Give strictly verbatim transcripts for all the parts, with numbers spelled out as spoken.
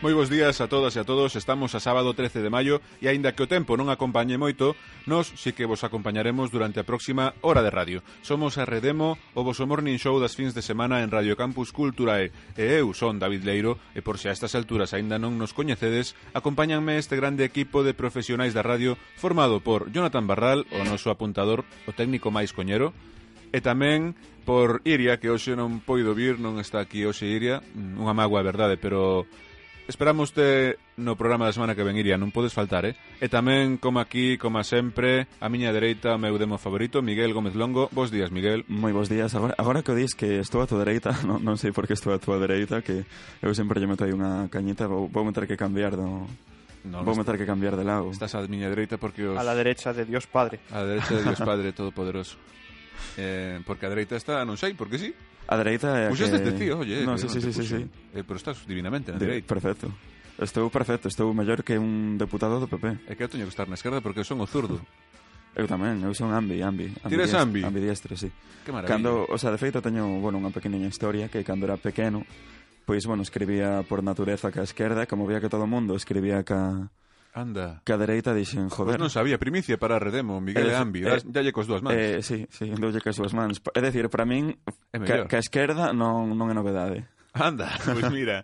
Moi bons días a todas e a todos. Estamos a sábado trece de maio e aínda que o tempo non acompañe moito, nós si que vos acompañaremos durante a próxima hora de radio. Somos a Redemo, o voso morning show das fins de semana en Radio Campus Culturae. E eu son David Leiro e por se a estas alturas aínda non nos coñecedes, acompáñanme este grande equipo de profesionais da radio formado por Jonathan Barral, o noso apuntador, o técnico máis coñero, e tamén por Iria, que hoxe non poido vir, non está aquí hoxe Iria, unha mágoa, é verdade, pero esperamos te no programa da semana que ven, Iria, non podes faltar, eh? E tamén, como aquí, como sempre, a miña dereita, o meu demo favorito, Miguel Gómez Longo. Bos días, Miguel. Moi bos días. Agora, agora que o dis que estou a tua dereita, non, non sei por que estou a tua dereita, que eu sempre lle meto aí unha cañita, vou, vou meter que cambiar do... No, vou meter que cambiar de lado. Estás a miña dereita porque os... A la derecha de Dios Padre. A la derecha de Dios Padre Todopoderoso. Eh, porque a dereita está, non sei, porque sí. A dereita é pues que... Puxeste ti, oye. No, sí, sí, sí, sí, sí. Eh, pero estás divinamente na de, dereita. Perfecto. Estou perfecto, estou mellor que un deputado do P P. É que eu teño que estar na esquerda porque eu son o zurdo. Eu tamén, eu son ambi, ambi. Tires ambi? Ambidiestro, sí. Que maravilla. Cando, o sea, de feito teño, bueno, unha pequeniña historia que cando era pequeno, pois, bueno, escribía por natureza ca esquerda, como vía que todo o mundo escribía ca... Anda. Que a dereita dixen, joder. Pues non sabía, primicia para Redemo, Miguel e Ambi, eh, dalle cos dúas mans. Eh, sí, sí, doulle cos dúas mans. É dicir, para min, que, que a esquerda non, non é novedade. Anda, pois pues mira,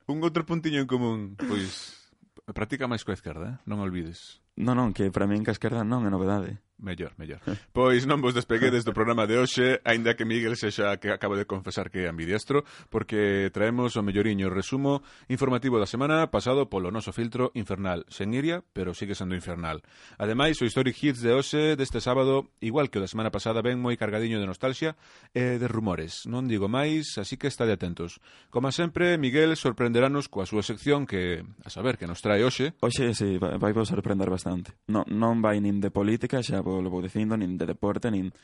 un outro puntiño en común, pois practica máis coa esquerda, eh? Non olvides. Non, non, que para min que a esquerda non é novedade. Mellor, mellor. Pois non vos despeguedes do programa de hoxe, aínda que Miguel sexa que acaba de confesar que é ambidiestro, porque traemos o melloriño resumo informativo da semana pasado polo noso filtro infernal. Sen Iria, pero sigue sendo infernal. Ademais, o Historic Hits de hoxe, deste sábado, igual que o da semana pasada, ven moi cargadiño de nostalgia e de rumores. Non digo máis, así que estade atentos. Como sempre, Miguel sorprenderanos coa súa sección que, a saber, que nos trae hoxe. Hoxe, sí, vai, vai vos sorprender bastante. Non, non vai nin de política, xa vos lo vou dicindo, nin de deporte, nin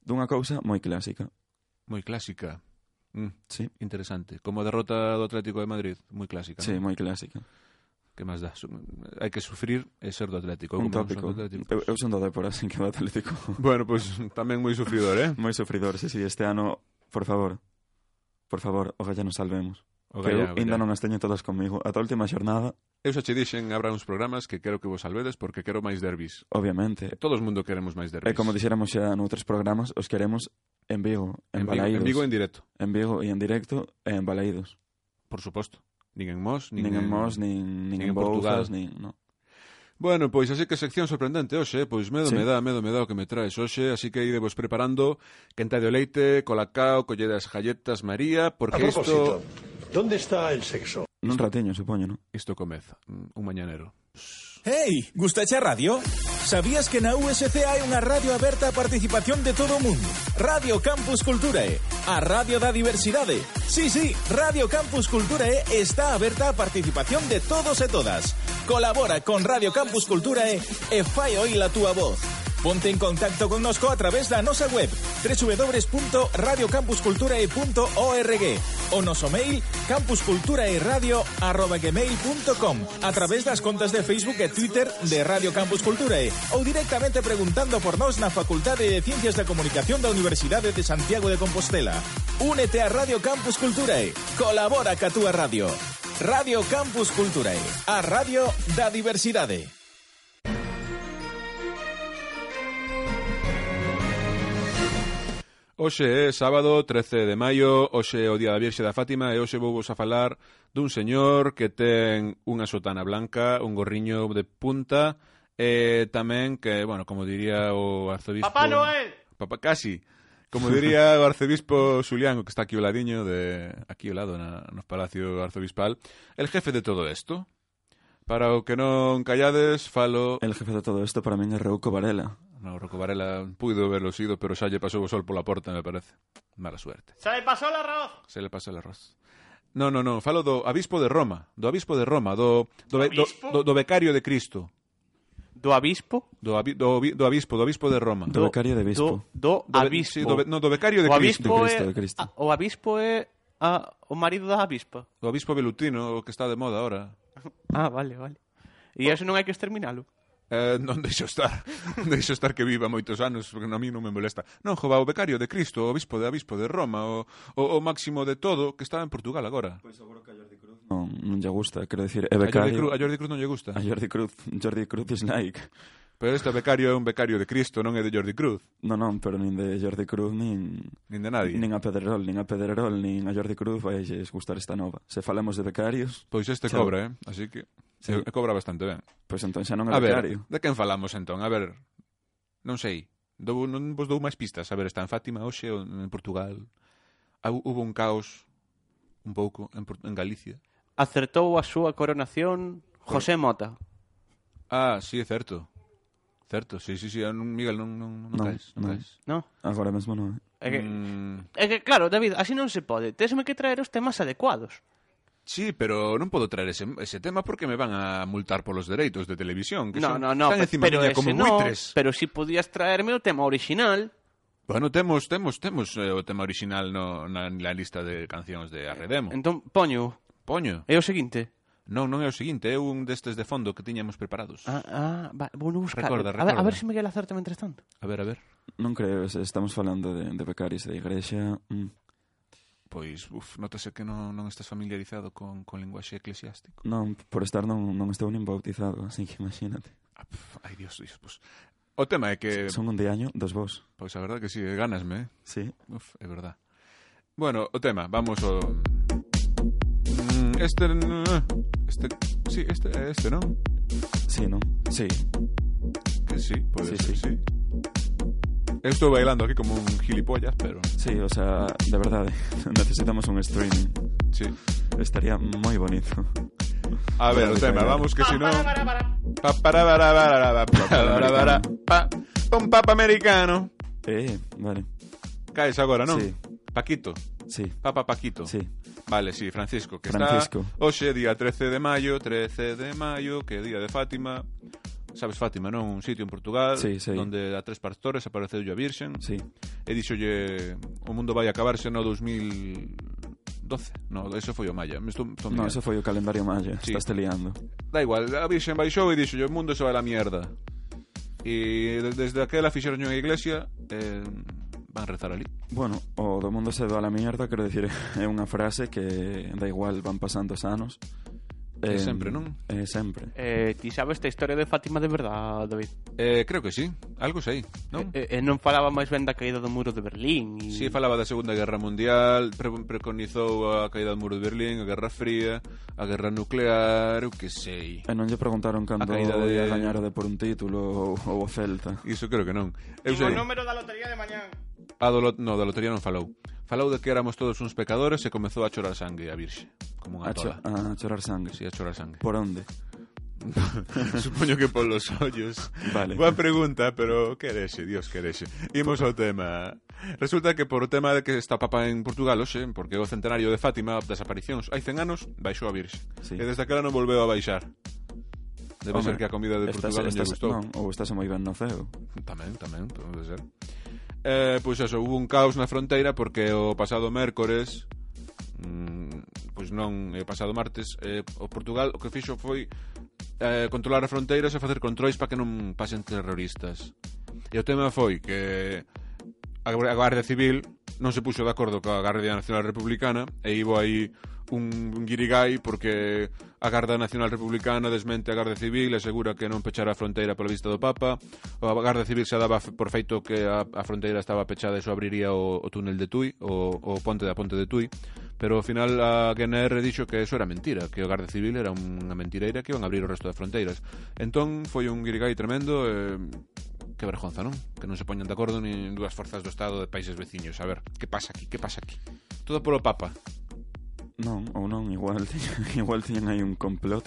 dunha cousa moi clásica. Moi clásica. Mm, sí. Interesante. Como a derrota do Atlético de Madrid, moi clásica. Sí, ¿no? moi clásica. Que máis dá? Hai que sufrir e ser do Atlético. Un tópico. Atlético. Eu, eu son do Depor, así que do Atlético. Bueno, pois pues, tamén moi sufridor, eh? Moi sufridor, sí, sí. Este ano, por favor, por favor, o Galla nos salvemos. O que Galla, eu ainda non as teño todas comigo. Ata a última xornada. Eu xa che dixen, habrá uns programas que quero que vos salvedes porque quero máis derbis. Obviamente. Todo o mundo queremos máis derbis. E como dixéramos xa noutros programas, os queremos en Vigo, en, en Balaídos. En Vigo en directo. En Vigo e en directo e en Balaídos. Por suposto. Nin en Mos, nin, nin en, en Mos, nin, nin, nin en Portugal, nin... No. Bueno, pois así que sección sorprendente hoxe, pois medo sí. me dá, medo me dá o que me traes hoxe, así que idevos preparando quenta de leite, colacao, collede as galletas María, porque isto... ¿Dónde está el sexo? Nun ratiño, supoño, non? Isto comeza, un mañanero. Hey, gustache a radio? Sabías que na U S C hai unha radio aberta a participación de todo o mundo? Radio Campus Culturae, a radio da diversidade. Sí, sí, Radio Campus Culturae está aberta a participación de todos e todas. Colabora con Radio Campus Culturae e fai oír a túa voz. Ponte en contacto connosco a través da nosa web doble u doble u doble u punto radio campus culturae punto org o noso mail campusculturaeradio arroba gmail punto com, a través das contas de Facebook e Twitter de Radio Campus Culturae ou directamente preguntando por nós na Facultade de Ciencias da Comunicación da Universidade de Santiago de Compostela. Únete a Radio Campus Culturae. Colabora ca túa radio. Radio Campus Culturae, a radio da diversidade. Hoxe é sábado trece de maio, hoxe é o Día da Virxe da Fátima e hoxe vou vos a falar dun señor que ten unha sotana blanca, un gorriño de punta e tamén que, bueno, como diría o arzobispo... ¡Papá Noel! Papá, casi. Como diría o arzobispo Xulián, que está aquí ao ladiño, de, aquí ao lado na, no Palacio Arzobispal, el jefe de todo isto. Para o que non callades, falo... El jefe de todo isto para min é Rouco Varela. No, Rouco Varela puido verlo sido, pero xa lle pasou o sol pola porta, me parece. Mala suerte. Se le pasou el arroz. Se le pasou el arroz. No, no, no, falo do Abispo de Roma, do Abispo de Roma, do do, do, do, do Becario de Cristo. Do Abispo? Do, abi, do, do Abispo, do Abispo de Roma. Do, do Becario de Bispo. Do, do, do Abispo. Sí, do, no, do Becario de o Cristo. Abispo de Cristo, é, de Cristo. A, o Abispo é a, o marido da Abispa. O Abispo Velutino, o que está de moda ahora. Ah, vale, vale. E oh. Eso non hai que exterminalo? Eh, non deixo estar, non deixo estar que viva moitos anos, porque a mí non me molesta. Non, jova, o becario de Cristo, o obispo de Abispo de Roma, o, o, o máximo de todo, que está en Portugal agora. Pois seguro que a Jordi Cruz non, non lle gusta, quero dicir, é A Jordi, becario. Cruz, a Jordi Cruz non lle gusta. A Jordi Cruz, Jordi Cruz is like. Pero este becario é un becario de Cristo, non é de Jordi Cruz. Non, non, pero nin de Jordi Cruz, nin... Nin de nadie. Nin a Pedrerol, nin a Pedrerol, nin a Jordi Cruz vai gustar esta nova. Se falamos de becarios... Pois este Chao. cobra, eh? Así que... Sí. E cobra bastante ben. Pois entón xa non é A ver, becario. de quen falamos entón? A ver, non sei. Dou, non vos dou máis pistas. A ver, está en Fátima hoxe ou en Portugal. Ah, hubo un caos un pouco en, en Galicia. Acertou a súa coronación José Mota. Ah, sí, é certo. Certo, sí, sí, sí. Non, Miguel, non, non, non, Non, caes, non, non. caes. No? Agora mesmo non é. É que, Mm, é que, claro, David, así non se pode. Tesme que traer os temas adecuados. sí, pero non podo traer ese, ese tema porque me van a multar polos dereitos de televisión. Que No, son, no, no, están pe- encima pero miña ese como no, buitres. pero si podías traerme o tema original. Bueno, temos temos temos eh, o tema original no, na, na lista de cancións de Arredemo. Entón, poño, Poño. é o seguinte. Non, non é o seguinte, é un destes de fondo que tiñamos preparados. Ah, ah, va, vou no buscar. Recorda, A ver, a recorda. ver se Miguel acerta mentres tanto. A ver, a ver. Non creo, se estamos falando de, de becarios da igrexa... Mm. Pois, uf, notase que non, non estás familiarizado con, con linguaxe eclesiástico. Non, por estar non, non estou nin bautizado, así que imagínate. Ah, pf, ai, Dios, Dios, pues. O tema é que... Son un de año, dos vos. Pois a verdad que sí, gánasme, eh? Sí. Uf, é verdad. Bueno, o tema, vamos ao... Mm, Este... Este... Sí, este é este, non? Sí, non? Sí. Que sí, pode Sí, ser, sí. sí. Eu estou bailando aquí como un gilipollas, pero... Sí, o sea, de verdade, necesitamos un streaming. Sí. Estaría moi bonito. A ver, o tema, vamos que si non... Pa para para para para para para pa un papa americano. Eh, vale. Caes agora, non? Sí. Paquito, Sí, Papa Paquito. sí. Vale, sí, Francisco, que Francisco. está hoxe día trece de maio, trece de maio, que é día de Fátima. Sabes Fátima, non? Un sitio en Portugal Sí, sí. onde a tres pastores apareceu a Virxen Sí. e dixolle o mundo vai acabarse no dos mil doce. No, eso foi o Maya. Me estou, estou No, mirando. eso foi o calendario maya. Sí. Estás te liando. Da igual, a Virxen baixou e dixolle o mundo se vai a la mierda. E de- desde aquela fixeron unha iglesia eh, van rezar ali. Bueno, o do mundo se do a la mierda, quero dicir, é unha frase que da igual van pasando os anos. É Eh, sempre, non? É sempre. Eh, ti sabes esta historia de Fátima de verdade, David? Eh, creo que sí, algo sei, non? E, e non falaba máis ben da caída do muro de Berlín e... Si, falaba da Segunda Guerra Mundial, pre preconizou a caída do muro de Berlín, a Guerra Fría, a Guerra Nuclear, eu que sei. E non lle preguntaron cando caída de- ia gañar o de por un título ou, ou o Celta. Iso creo que non. Eu O sei, número da lotería de mañán. a do, lo- no, da lotería non falou. Falou de que éramos todos uns pecadores e comezou a chorar sangue a Virxe, como unha A, cho tola. a chorar sangue. Si, a chorar sangue. Por onde? Supoño que polos ollos. Vale. Boa pregunta, pero querexe, Dios querexe. Imos ao tema. Resulta que por o tema de que está Papa en Portugal hoxe, porque é o centenario de Fátima das aparicións, hai cen anos, baixou a Virxe. Sí. E desde aquela non volveu a baixar. Debe Home, ser que a comida de estás, Portugal non lle estás, gustou. non, ou estás moi ben no ceo. Tamén, tamén, pode ser. Eh, pois eso, hubo un caos na fronteira porque o pasado mércores mm, pois non, o pasado martes eh, o Portugal o que fixo foi eh, controlar as fronteiras e facer controis para que non pasen terroristas. E o tema foi que a Garda Civil non se puxo de acordo coa Garda Nacional Republicana e ibo aí un guirigay porque a Garda Nacional Republicana desmente a Garda Civil e asegura que non pechara a fronteira pola vista do Papa. A Garda Civil xa daba por feito que a, a fronteira estaba pechada e só abriría o, o túnel de Tui, o, o ponte da ponte de Tui, pero ao final a G N R dixo que eso era mentira, que o Garda Civil era unha mentireira que iban a abrir o resto das fronteiras. Entón foi un guirigay tremendo e... que vergonza, non? Que non se poñan de acordo nin dúas forzas do Estado de países veciños. A ver, que pasa aquí, que pasa aquí? Todo polo Papa. Non, ou non, igual igual tiñan aí un complot.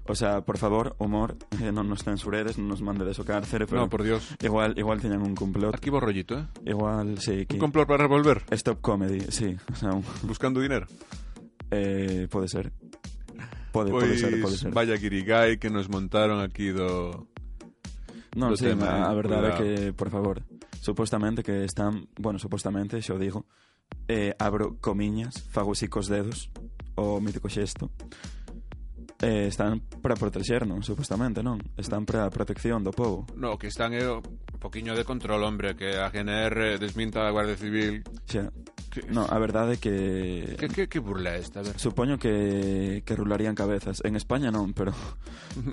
O sea, por favor, humor, eh, non nos censuredes, non nos mandedes o cárcere, pero No, por Dios. igual igual tiñan un complot. Arquivo rollito, eh? Igual, sí, que Un complot para revolver, Stop Comedy, sí, o sea, un, buscando dinero. eh, pode ser. Pode, Pois pode ser, pode ser. vaya guirigay que nos montaron aquí do... Non, do sí, tema, a, a eh, verdade é cuidado. que, por favor, supostamente que están, bueno, supostamente, xo digo, eh, abro comiñas, fago así cos dedos, o mítico xesto, Eh, están para protegernos, supostamente, non? Están para a protección do povo. No, que están é un poquinho de control, hombre, que a G N R desminta a Guardia Civil. Xa. No, a verdade é que... Que, que, que burla esta, a ver? Supoño que, que rularían cabezas. En España non, pero,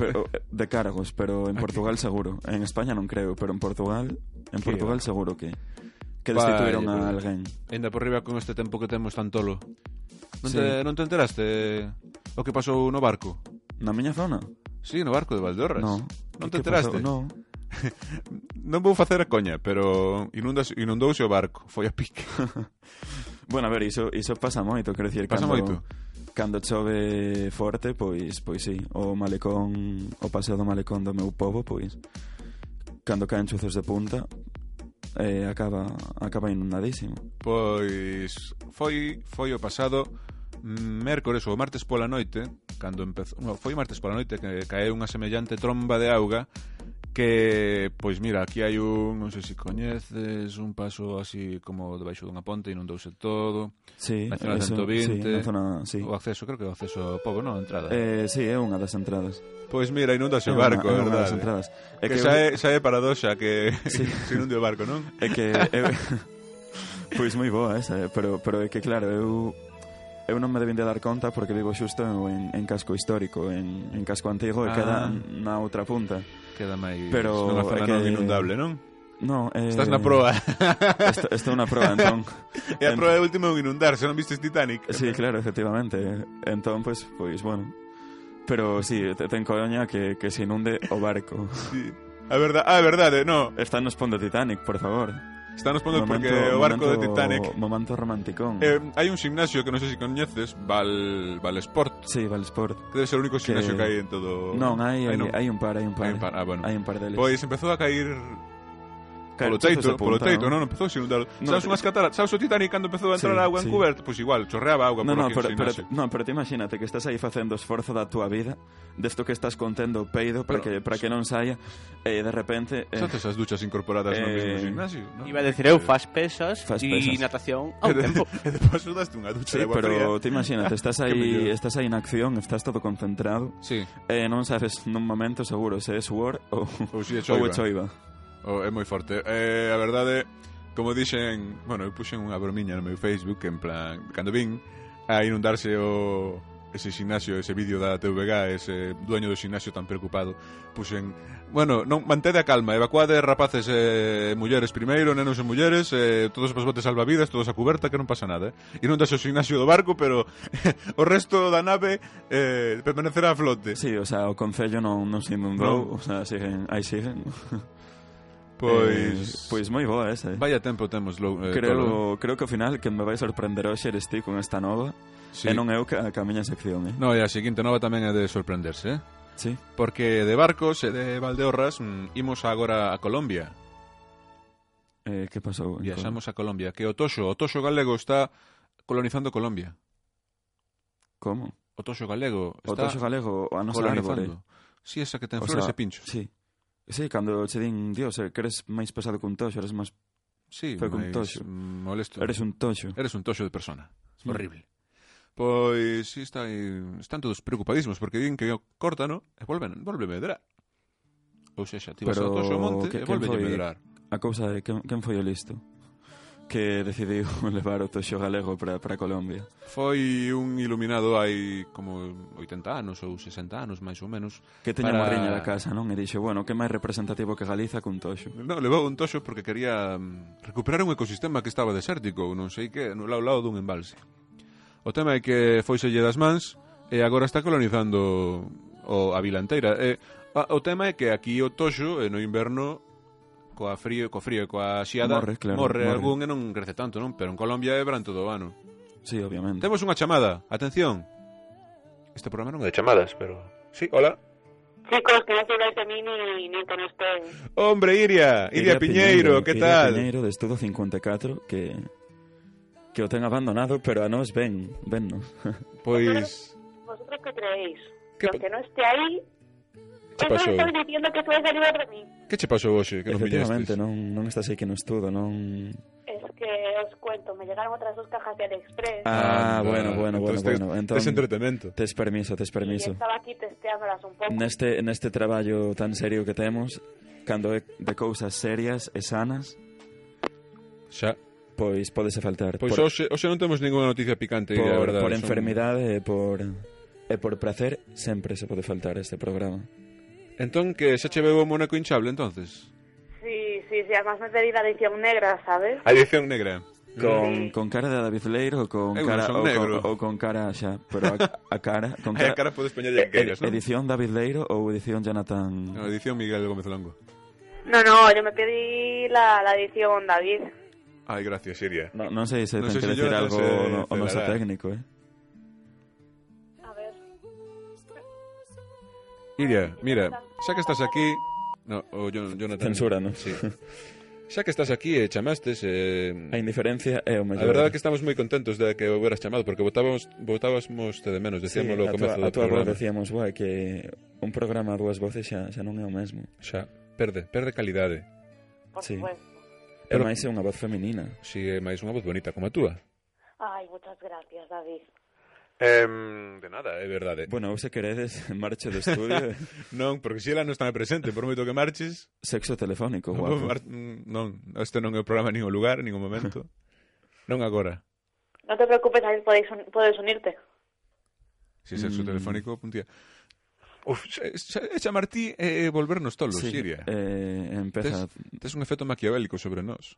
pero de cargos, pero en Portugal seguro. En España non creo, pero en Portugal en Portugal seguro que que destituíron a alguén. Ainda por riba con este tempo que temos tan tolo. Non, Sí. te, non te enteraste o que pasou no barco? Na miña zona? Sí, no barco de Valdeorras. No. Non Que te enteraste? pasou? No. Non vou facer a coña, pero inundas, inundouse o barco, foi a pique. Bueno, a ver, iso, iso pasa moito, quero dicir, Pasa cando, moito? Cando chove forte, pois pois sí, o malecón, o paseo do malecón do meu pobo, pois cando caen chuzos de punta, eh, acaba acaba inundadísimo. Pois foi foi o pasado mércores ou martes pola noite, cando empezou, no, foi martes pola noite que caeu unha semellante tromba de auga que, pois mira, aquí hai un, non sei se coñeces, un paso así como debaixo dunha ponte, inundouse todo. Sí, Nacional eso, ciento vinte, sí, na zona, sí. O acceso, creo que o acceso ao pobo, non, a entrada. Eh, sí, é unha das entradas. Pois mira, inundase É o barco, unha, é é unha das verdade. entradas. É Que, que xa, é, xa é paradoxa que Sí. se inunde o barco, non? É que eu, pois moi boa esa, eh, pero pero é que claro, eu eu non me debín de dar conta porque vivo xusto en, en casco histórico, en, en casco antigo, e Ah. queda na outra punta. Queda máis Pero nunha zona é que- non inundable, non? No, eh, Estás na proa. Esto, esto é unha proa, entón. E a proa de último é un inundar, se non vistes Titanic. Sí, claro, efectivamente. Entón, pois, pois, bueno. Pero sí, te, ten coña que, que se inunde o barco. Sí. A verdade, ah, a verdade, no. Está nos pondo Titanic, por favor. Está nos pondo porque o barco momento, de Titanic. Momento romanticón. Eh, hai un gimnasio que non sei se coñeces, Val, Val Sport. Sí, Valsport. Que debe ser o único Que- gimnasio que hai en todo... Non, hai, hai, non. hai un par, hai un par. Hai un par, ah, bueno. Hai un par deles. Pois empezou a cair Caer polo chuzos teito, de polo punta, teito, non? non, empezou a inundar. No, Sabes unhas cataratas, sabes o Titanic cando empezou a entrar Sí, a auga sí. en cuberto? Pois igual, chorreaba auga No, por no, aquí pero, no pero, gimnasio. no, pero te imagínate que estás aí facendo esforzo da tua vida, desto que estás contendo o peido para Pero- que para que non saia, e de repente eh, Xa tes as duchas incorporadas no Eh, mesmo gimnasio, non? Iba a decir eu, faz pesas Fas e pesas. natación ao E de- tempo. E depois daste unha ducha sí, de agua fría. pero te imagínate, estás Que aí, mellor. estás aí na acción, estás todo concentrado, Sí, e non sabes nun momento seguro se é suor ou ou si é ou choiva. é choiva. Oh, é moi forte. Eh, a verdade, como dixen, bueno, eu puxen unha bromiña no meu Facebook en plan, cando vin a inundarse o ese gimnasio, ese vídeo da T V G, ese dueño do gimnasio tan preocupado, puxen, bueno, non mantede a calma, evacuade rapaces e mulleres primeiro, nenos e mulleres, eh, todos os botes salvavidas, todos a cuberta, que non pasa nada, eh. Inundase o gimnasio do barco, pero o resto da nave eh, permanecerá a flote. Sí, o sea, o concello non, non se inundou, Non. o sea, siguen, aí siguen. Pois... Eh, pois moi boa esa, eh. Vaya tempo temos lo, eh, tolo. Creo, creo que ao final que me vai sorprender hoxe eres ti con esta nova, Sí. e non eu que a, que a miña sección, eh. No, e a seguinte nova tamén é de sorprenderse, eh? Sí. Porque de barcos e de Valdeorras mm, imos agora a Colombia. Eh, que pasou? en Viaxamos a Colombia. Que o toxo, o toxo galego está colonizando Colombia. Como? O toxo galego O está toxo galego, a nosa árbore. colonizando. Si, esa que ten O flores sea, e pinchos. Sí. Sí, cando che din, Dios, eh, que eres máis pesado que un toxo, eres máis... Sí, Foi con máis toxo. mm, molesto. Eres un toxo. Eres un toxo de persona. Mm. Horrible. Pois si está aí, están todos preocupadísimos porque din que corta, no? E volven, volve medrar. Ou sexa, ti vas Pero ao toxo ao monte que- e quen volve foi? medrar. A cousa é, quen, quen foi o listo? Que decidiu levar o toxo galego para, para Colombia. Foi un iluminado hai como oitenta anos ou sesenta anos, máis ou menos. Que teña Para- para... morriña da casa, non? E dixo, bueno, que máis representativo que Galiza cun toxo. No, levou un toxo porque quería mm, recuperar un ecosistema que estaba desértico, ou non sei que, no lado, lado dun embalse. O tema é que foiselle das mans e agora está colonizando o, a vila inteira. E, a, o tema é que aquí o toxo, e no inverno, coa frío, co frío e coa xiada, Morre, claro, morre morre. algún e non crece tanto, non? Pero en Colombia é verán todo o ano. Sí, obviamente. Temos unha chamada, atención. Este programa non é de chamadas, pero... Sí, hola. Chicos, que non se vais a mí ni, ni con usted. Hombre, Iria, Iria, Piñeiro, que Iria tal? Piñeiro, de Estudo cincuenta e catro, que que o ten abandonado, pero a nós ven, vennos. Pois... ¿Vosotros qué creéis? ¿Qué Que pa- aunque no esté ahí, ¿Qué eso pasó? me estoy diciendo que tú vas a librar de mí. Que che pasou hoxe que non Efectivamente, viñestes? non, non estás aí que no estudo, non... Es que os cuento, me llegaron otras dos cajas de AliExpress. Ah, Anda, bueno, bueno, bueno, entonces bueno. tes- Entón, tes entretemento. tes permiso, tes Y permiso. estaba aquí testeándolas un pouco. Neste, neste traballo tan serio que temos, cando é de cousas serias e sanas, Xa. pois podese faltar. Pois por, hoxe, hoxe non temos ninguna noticia picante, por, a verdade. por son- enfermidade e por e por placer, sempre se pode faltar este programa. Entón, que xa che veo o monaco hinchable, entonces? Sí, sí, sí, además me pedí la edición negra, ¿sabes? A edición negra. Con, con cara de David Leiro ou con Eu cara non son ou con, negro. ou con cara xa, pero a, a cara con Aí a cara, cara podes poñer que queiras, non? edición David Leiro ou edición Jonathan. No, edición Miguel Gómez Longo. No, no, yo me pedí la, la edición David. Ai, gracias, Iria. No, non sei se Non ten sei que se decir Jonathan algo se no, o noso celará. técnico, eh. A ver. Iria, mira, xa que estás aquí... No, o Jon- Jonathan... Censura, non? Sí. Xa que estás aquí e chamastes... Eh... A indiferencia é o A mellor. verdade é que estamos moi contentos de que o hubieras chamado, porque votábamos, votábamos te de menos, Sí, decíamoslo ao a comezo tua, a do tua voz programa. decíamos, guai, que un programa a dúas voces xa, xa non é o mesmo. Xa, perde, perde calidade. Por Sí. supuesto. É Pero- máis é unha voz feminina. Si é máis unha voz bonita como a túa. Ay, muchas gracias, David. Eh, de nada, é verdade. Bueno, ou se queredes, marcho do estudio. Non, porque se ela non está presente, por moito que marches... Sexo telefónico, Non, guapo. mar- non, este non é o programa nin o lugar, nin o momento. Non agora. No te preocupes, David, podéis un- puedes unirte. Si sexo Mm. telefónico, puntía. Uf, xa- xa- é chamar ti e eh, volvernos tolos, Sí, Siria. eh, empeza... Tes, tes un efecto maquiavélico sobre nós.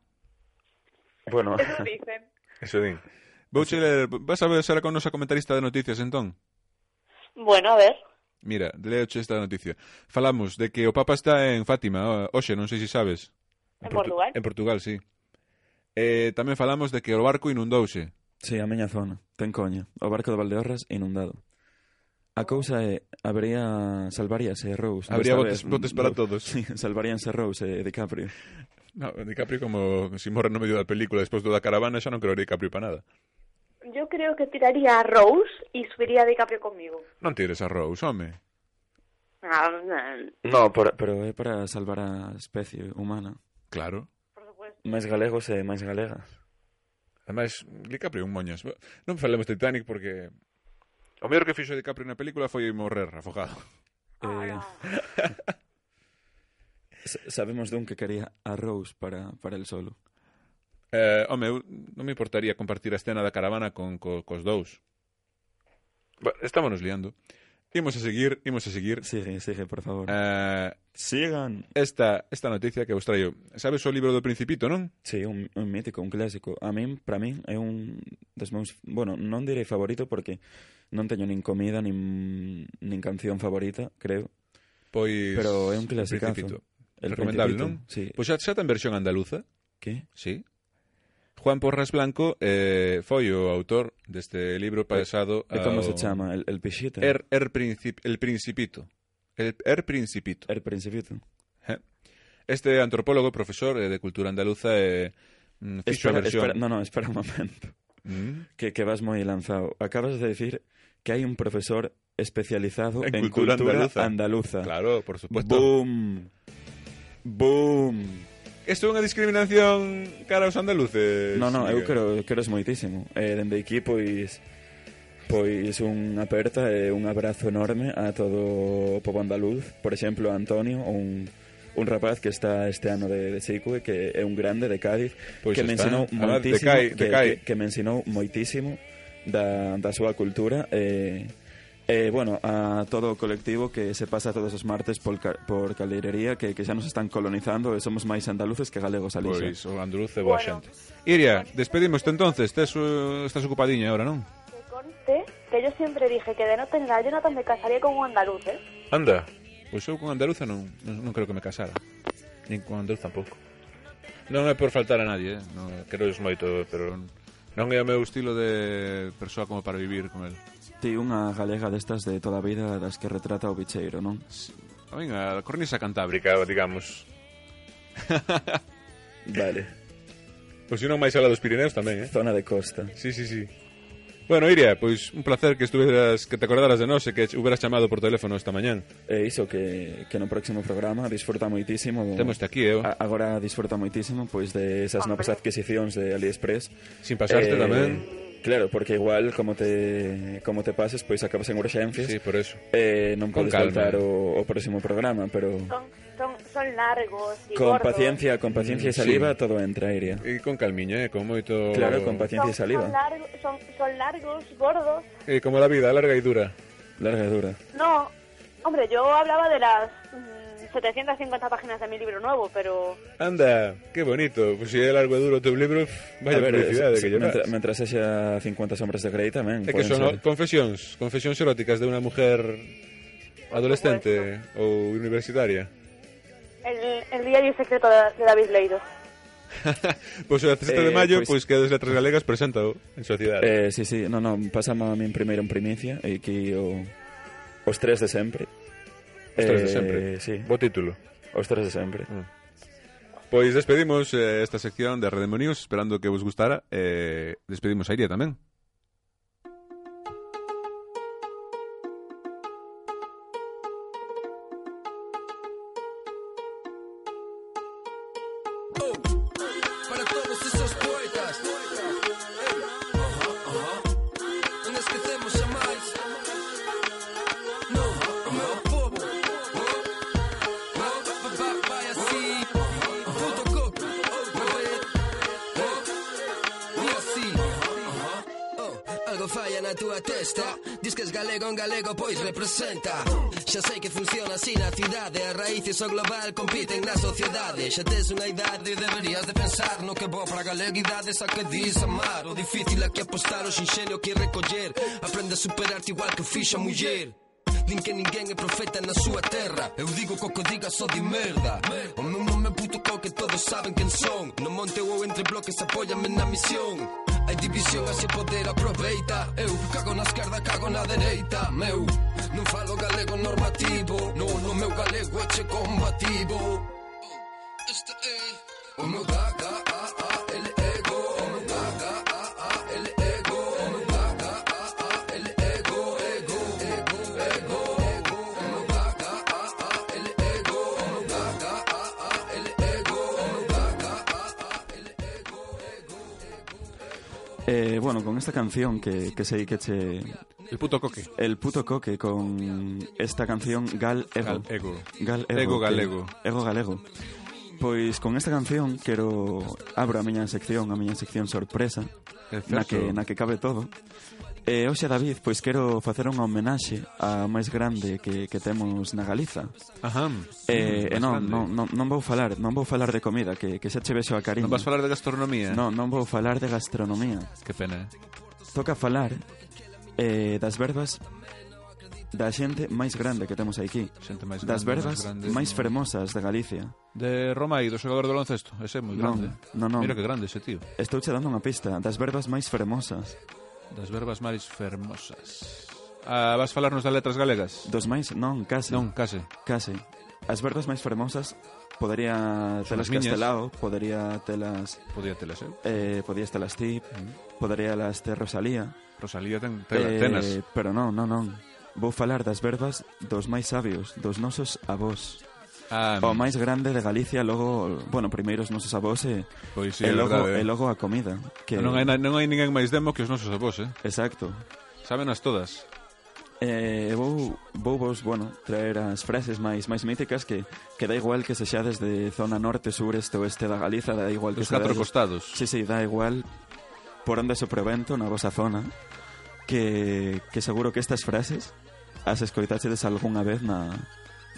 Bueno, Eso dicen. Eso din. Vouche ler, vas a ver será con nosa comentarista de noticias, entón? Bueno, a ver. Mira, leoche esta noticia. Falamos de que o Papa está en Fátima, hoxe, non sei se sabes. En Portu- Portugal. En Portugal, sí. Eh, tamén falamos de que o barco inundouse. sí, a miña zona, ten coña. O barco de Valdeorras inundado. A cousa é, habería salvaríase Rose. Habría desta botes, vez, botes para Ro- todos. Sí, salvaríanse Rose e DiCaprio. No, DiCaprio como si morre no medio da película despois do da caravana, xa non creo DiCaprio para nada. Yo creo que tiraría a Rose y subiría a DiCaprio conmigo. Non tires a Rose, home. Ah, no, No, por, pero é para salvar a especie humana. Claro. por supuesto. Máis galegos e máis galegas. Ademais, DiCaprio un moñas. Non falemos de Titanic porque o mellor que fixo DiCaprio na película foi morrer afogado. Eh, s- sabemos dun que quería a Rose para, para el solo. Eh, home, eu non me importaría compartir a escena da caravana con co, cos dous. Ba, estámonos liando. Imos a seguir, imos a seguir. Sigue, sigue, por favor. Eh, Sigan. esta, esta noticia que vos traio. Sabes o libro do Principito, non? Sí, un, un mítico, un clásico. A min, para min, é un dos meus... Bueno, non direi favorito porque non teño nin comida, nin, nin canción favorita, creo. Pois Pero é un O clasicazo. Principito. El Recomendable, Principito, non? Sí. Pois xa, xa ten versión andaluza. Que? Sí. Juan Porras Blanco eh, foi o autor deste libro pasado E como ao- se chama? El, el Pixita? Er, er princip, el Principito. El, er Principito. El Principito. Eh. Este antropólogo, profesor eh, de cultura andaluza, eh, mm, fixo a Espera, versión... espera, no, no, espera un momento. Mm. Que, que vas moi lanzado. Acabas de decir que hai un profesor especializado En en, cultura cultura, andaluza. andaluza. Claro, por supuesto. Boom. Boom. Isto é unha discriminación cara aos andaluces. No, no, eu Miguel. quero, quero moitísimo. Eh, dende aquí, pois... Pois unha aperta e un abrazo enorme a todo o pobo andaluz. Por exemplo, a Antonio, un, un rapaz que está este ano de, de Sicue, que é un grande de Cádiz, Pois que me está. ensinou Además, moitísimo, decai, que, decai. que, que me ensinou moitísimo da, da súa cultura e... Eh, bueno, a todo o colectivo que se pasa todos os martes por, ca por Caleirería, que, que xa nos están colonizando e somos máis andaluces que galegos ali. xa. Pois o andaluz é boa Bueno. xente. Iria, despedimos-te entonces. Tes, uh, estás ocupadiña ahora, non? Que conste que yo siempre dije que de no tener a Jonathan me casaría con un andaluz, ¿eh? Anda. Pois eu con andaluza non, non, non creo que me casara. Nin con andaluz tampouco. Non é por faltar a nadie, eh? Non, quero es moito, pero non é o meu estilo de persoa como para vivir con el. Ti unha galega destas de toda a vida das que retrata o bicheiro, non? A min, a cornisa cantábrica, digamos. Vale. Pois se non máis ala dos Pirineos tamén, eh? Zona de costa. Sí, sí, sí. Bueno, Iria, pois un placer que estuveras, que te acordaras de nós e que hubieras chamado por teléfono esta mañán. E iso que, que no próximo programa disfruta moitísimo. Temos aquí, eu. A, agora disfruta moitísimo pois de esas novas adquisicións de AliExpress. Sin pasarte eh, tamén. Claro, porque igual como te como te pases, pois acabas en urxencias. Sí, por eso. Eh, non Con podes calma. faltar o, o próximo programa, pero Son, son, son largos y con gordos. paciencia, con paciencia e Mm, saliva sí. todo entra, Iria. E con calmiña, eh, con moito... Claro, con paciencia Son, e saliva. son, largos, son, son largos, gordos. E como la vida, larga e dura. Larga e dura. No, hombre, yo hablaba de las mm, setecientas cincuenta páginas de mi libro nuevo, pero... Anda, que bonito. Pois se é largo e duro o teu libro, vaya A ver, publicidade es- que llevas. mentre, mentre sexa cincuenta sombras de Grey tamén. É que poden son ser. confesións, confesións eróticas de unha mujer adolescente ou universitaria. El, el diario secreto de, de David Leido. Pois o dezasete de Eh, maio, pois- pois que das letras galegas presenta en sociedade. Eh, sí, sí, no, no, pasamos a min primeiro en primicia e aquí o, os tres de sempre. Os tres de Eh, sempre. Sí, Bo título. os tres de sempre. Pois despedimos eh, esta sección de Redemo News, esperando que vos gustara. Eh, despedimos a Iria tamén. Para todos esos poetas, Ey, ajá, ajá. Non esquecemos xa máis. No, o meu povo, oh, oh, va- va- vai así. Puto coco, oh, bebé, oh, e así. Oh, algo falla na túa testa. Diz que es galego en galego, pois representa. Xa sei que funciona así na cidade. As raíces o global compiten na sociedade. Xa tes unha idade, deberías de pensar no que bo para a galeguidade. Xa que dis amar, o difícil é que apostar, o xinxenio que recoller. Aprende a superarte igual que fixa a muller. Din que ninguén é profeta na súa terra. Eu digo co que diga só di merda. O meu nome é puto co que todos saben quen son. No monte ou entre bloques apóyame na misión. Hai división, así o poder aproveita. Eu cago na esquerda, cago na dereita. Meu, non falo galego normativo. No, no meu galego é che combativo. Este é o meu gaga, a, a, el ego. O meu gaga, a, a, el ego. O meu gaga, a, a, el ego. Ego, ego, ego, ego. O meu gaga, a, a, el ego. O meu gaga, a, a, el ego. O meu gaga, a, a, el ego, ego, ego. Eh, bueno, con esta canción que, que sei que che... El puto coque. El puto coque con esta canción Gal Ego. Gal Ego. Gal Ego. Ego que- galego. Ego galego. Pois con esta canción quero abro a miña sección, a miña sección sorpresa, na que na que cabe todo. E hoxe, David, pois quero facer unha homenaxe á máis grande que, que temos na Galiza. Ajá. E, e Máis non, grande. non, non, non vou falar, non vou falar de comida, que, que xa che vexo a cariño. Non vas falar de gastronomía? Non, non vou falar de gastronomía. Que pena, eh? Toca falar eh, das verbas da xente máis grande que temos aquí. Xente máis Das grande, verbas máis grande. máis fermosas de Galicia. De Romai, do xogador de baloncesto. Ese é moi Non, grande. non, non. Mira que grande ese tío. Estou che dando unha pista. Das verbas máis fermosas. Das verbas máis fermosas. Ah, vas falarnos das letras galegas? Dos máis, non, case. Non, case. Case. As verbas máis fermosas podería Son telas as miñas. Castelao, podería telas Podía telas eu. eh, podías telas ti, podería las ter Rosalía. Rosalía ten tela, Eh, tenas. pero non, non, non. Vou falar das verbas dos máis sabios, dos nosos avós. Ah, O máis grande de Galicia, logo, bueno, primeiro os nosos avós e, pois sí, e, é logo, verdade. e logo a comida. Que, Non hai, na- non hai ninguén máis demo que os nosos avós, eh? Exacto. Sábenas todas. Eh, vou, vou vos, bueno, traer as frases máis máis míticas que, que dá igual que sexades de zona norte, sur, este, oeste da Galiza, dá igual que Dos catro sexades- costados. Sí, sí, dá igual por onde sopre o vento na vosa zona, que, que seguro que estas frases as escoitachedes algunha vez na,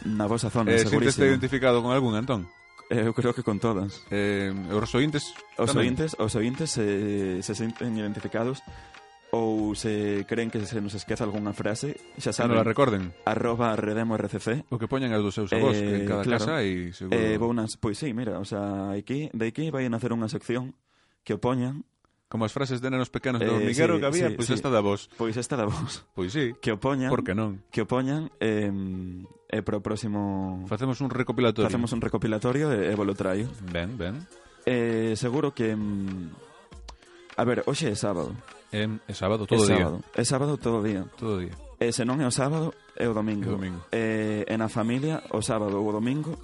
na vosa zona, Eh, Sinteste segurísimo. identificado con algún, Antón? Eh, eu creo que con todas. Eh, os ointes Os tamén? ointes, os ointes se, se senten identificados ou se creen que se nos esqueza algunha frase, xa Que non saben, la recorden. arroba redemo rcc. O que poñan as dos seus avós, que en Eh, cada claro. casa hai seguro. Eh, vou nas, pois sí, mira, o sea, aquí, de aquí vai a nacer unha sección que o poñan, Como as frases de nenos pequenos do Eh, hormiguero sí, que había, sí, pois sí. esta da vos. pois esta da vos, Pois sí, que o poñan, por que non? que o poñan eh, e pro próximo Facemos un recopilatorio. facemos un recopilatorio e, e volo traio. Ben, ben. Eh, seguro que mm, a ver, hoxe é sábado. É, é sábado todo o é día. sábado. É sábado todo o día. Todo o día. E se non é o sábado, é o domingo. É o domingo. E, e na familia, o sábado ou o domingo,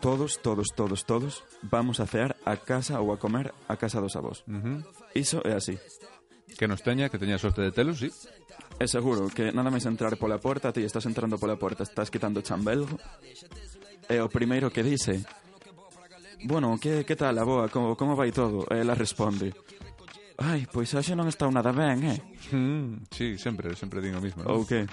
todos, todos, todos, todos vamos a cear a casa ou a comer a casa dos avós. Uh -huh. Iso é así. Que nos teña, que teña sorte de telos, sí. É seguro que nada máis entrar pola porta, ti estás entrando pola porta, estás quitando o chambelgo, e o primeiro que dice: bueno, que, que tal, aboa, como, como vai todo? E ela responde: ai, pois hoxe non está nada ben, eh? Mm, sí, sempre, sempre digo o mismo, ¿no? Ou que?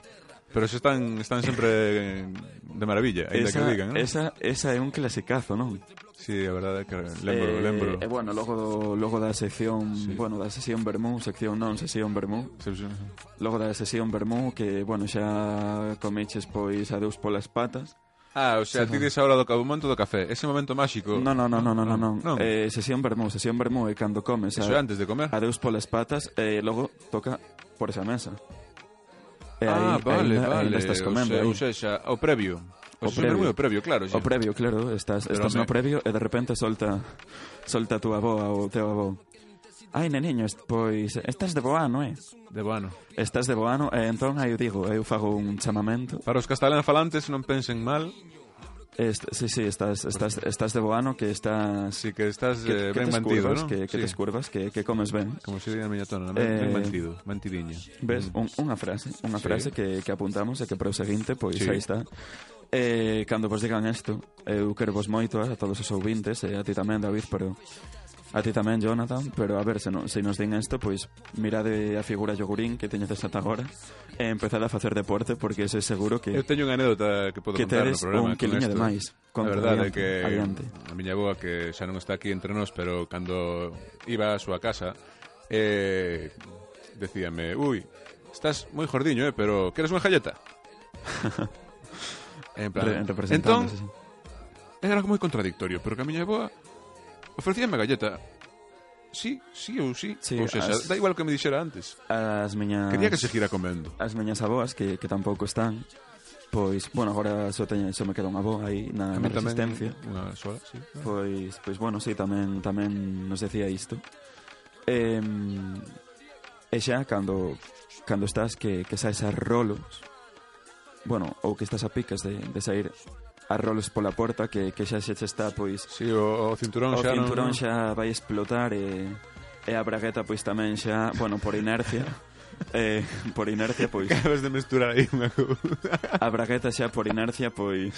Pero se están, están sempre de maravilla, ainda que digan, ¿no? Esa, esa é un clasicazo, non? Sí, a verdade é que lembro, eh, lembro. E, bueno, logo, do, logo da sección, Sí. bueno, da sesión Bermú, sección non, sesión Bermú. Sí, sí. Logo da sesión Bermú, que, bueno, xa comeches, pois, adeus polas patas. Ah, o sea, Sí, ti dis ahora do o momento do café, ese momento máxico. Non, non, non, non, non, non. non. Eh, sesión Bermú, sesión Bermú é cando comes Eso é antes de comer. adeus polas patas e logo toca por esa mesa. E Ah, aí, vale, aí, vale. Aí estás comendo. O aí. sea, o sea, o previo. O, O previo. previo. o previo, claro. O previo, claro, estás, Pero estás me- no previo e de repente solta solta a túa avó ou o teu avó. Ai, neniño, est- pois estás de boano, eh? De bueno. Estás de boano e entón aí eu digo, eu fago un chamamento. Para os castelán falantes non pensen mal, Est sí, sí, estás, estás, estás de boano que estás... si que estás que, eh, que ben te mantido, escurvas, ¿no? que, que Sí. te escurvas, que, que comes ben. Como se di na miña tona, Eh, ben, ben mantido, mantidiña. Ves, Mm. un, unha frase, unha Sí. frase que, que apuntamos e que para o seguinte, pois Sí. aí está. Eh, cando vos digan isto, eu quero vos moito a todos os ouvintes, e a ti tamén, David, pero a ti tamén, Jonathan, pero a ver, se, no, se nos din isto, pois mirade a figura yogurín que teñedes ata agora e empezade a facer deporte, porque ese seguro que Eu teño unha anécdota que podo que contar no tedes programa un quiliño con de esto. máis. A Conta, verdade é adiante, que adiante. a miña boa, que xa non está aquí entre nós, pero cando iba á súa casa, eh, decíame, ui, estás moi jordiño, eh, pero queres unha galleta? En plan, Re, entón, representándose, sí. era algo moi contradictorio, pero que a miña boa ofrecíame a galleta. Sí, sí ou sí. Sí, ou seja, as- da igual que me dixera antes. As miñas Quería que seguira comendo. as miñas aboas que, que tampouco están, pois, bueno, agora só teño, só me queda unha avó aí na, A na mí tamén resistencia. unha sola, sí. Pois, pois bueno, sí, tamén tamén nos decía isto. Eh, e xa cando cando estás que, que saes a rolos, bueno, ou que estás a picas de, de sair a rolos pola porta, que, que xa xa che está, pois, Sí, o, o cinturón o xa cinturón non... xa vai explotar e, e a bragueta pois tamén xa, bueno, por inercia, eh, por inercia, pois, Acabas de mesturar aí unha cousa. a bragueta xa por inercia, pois,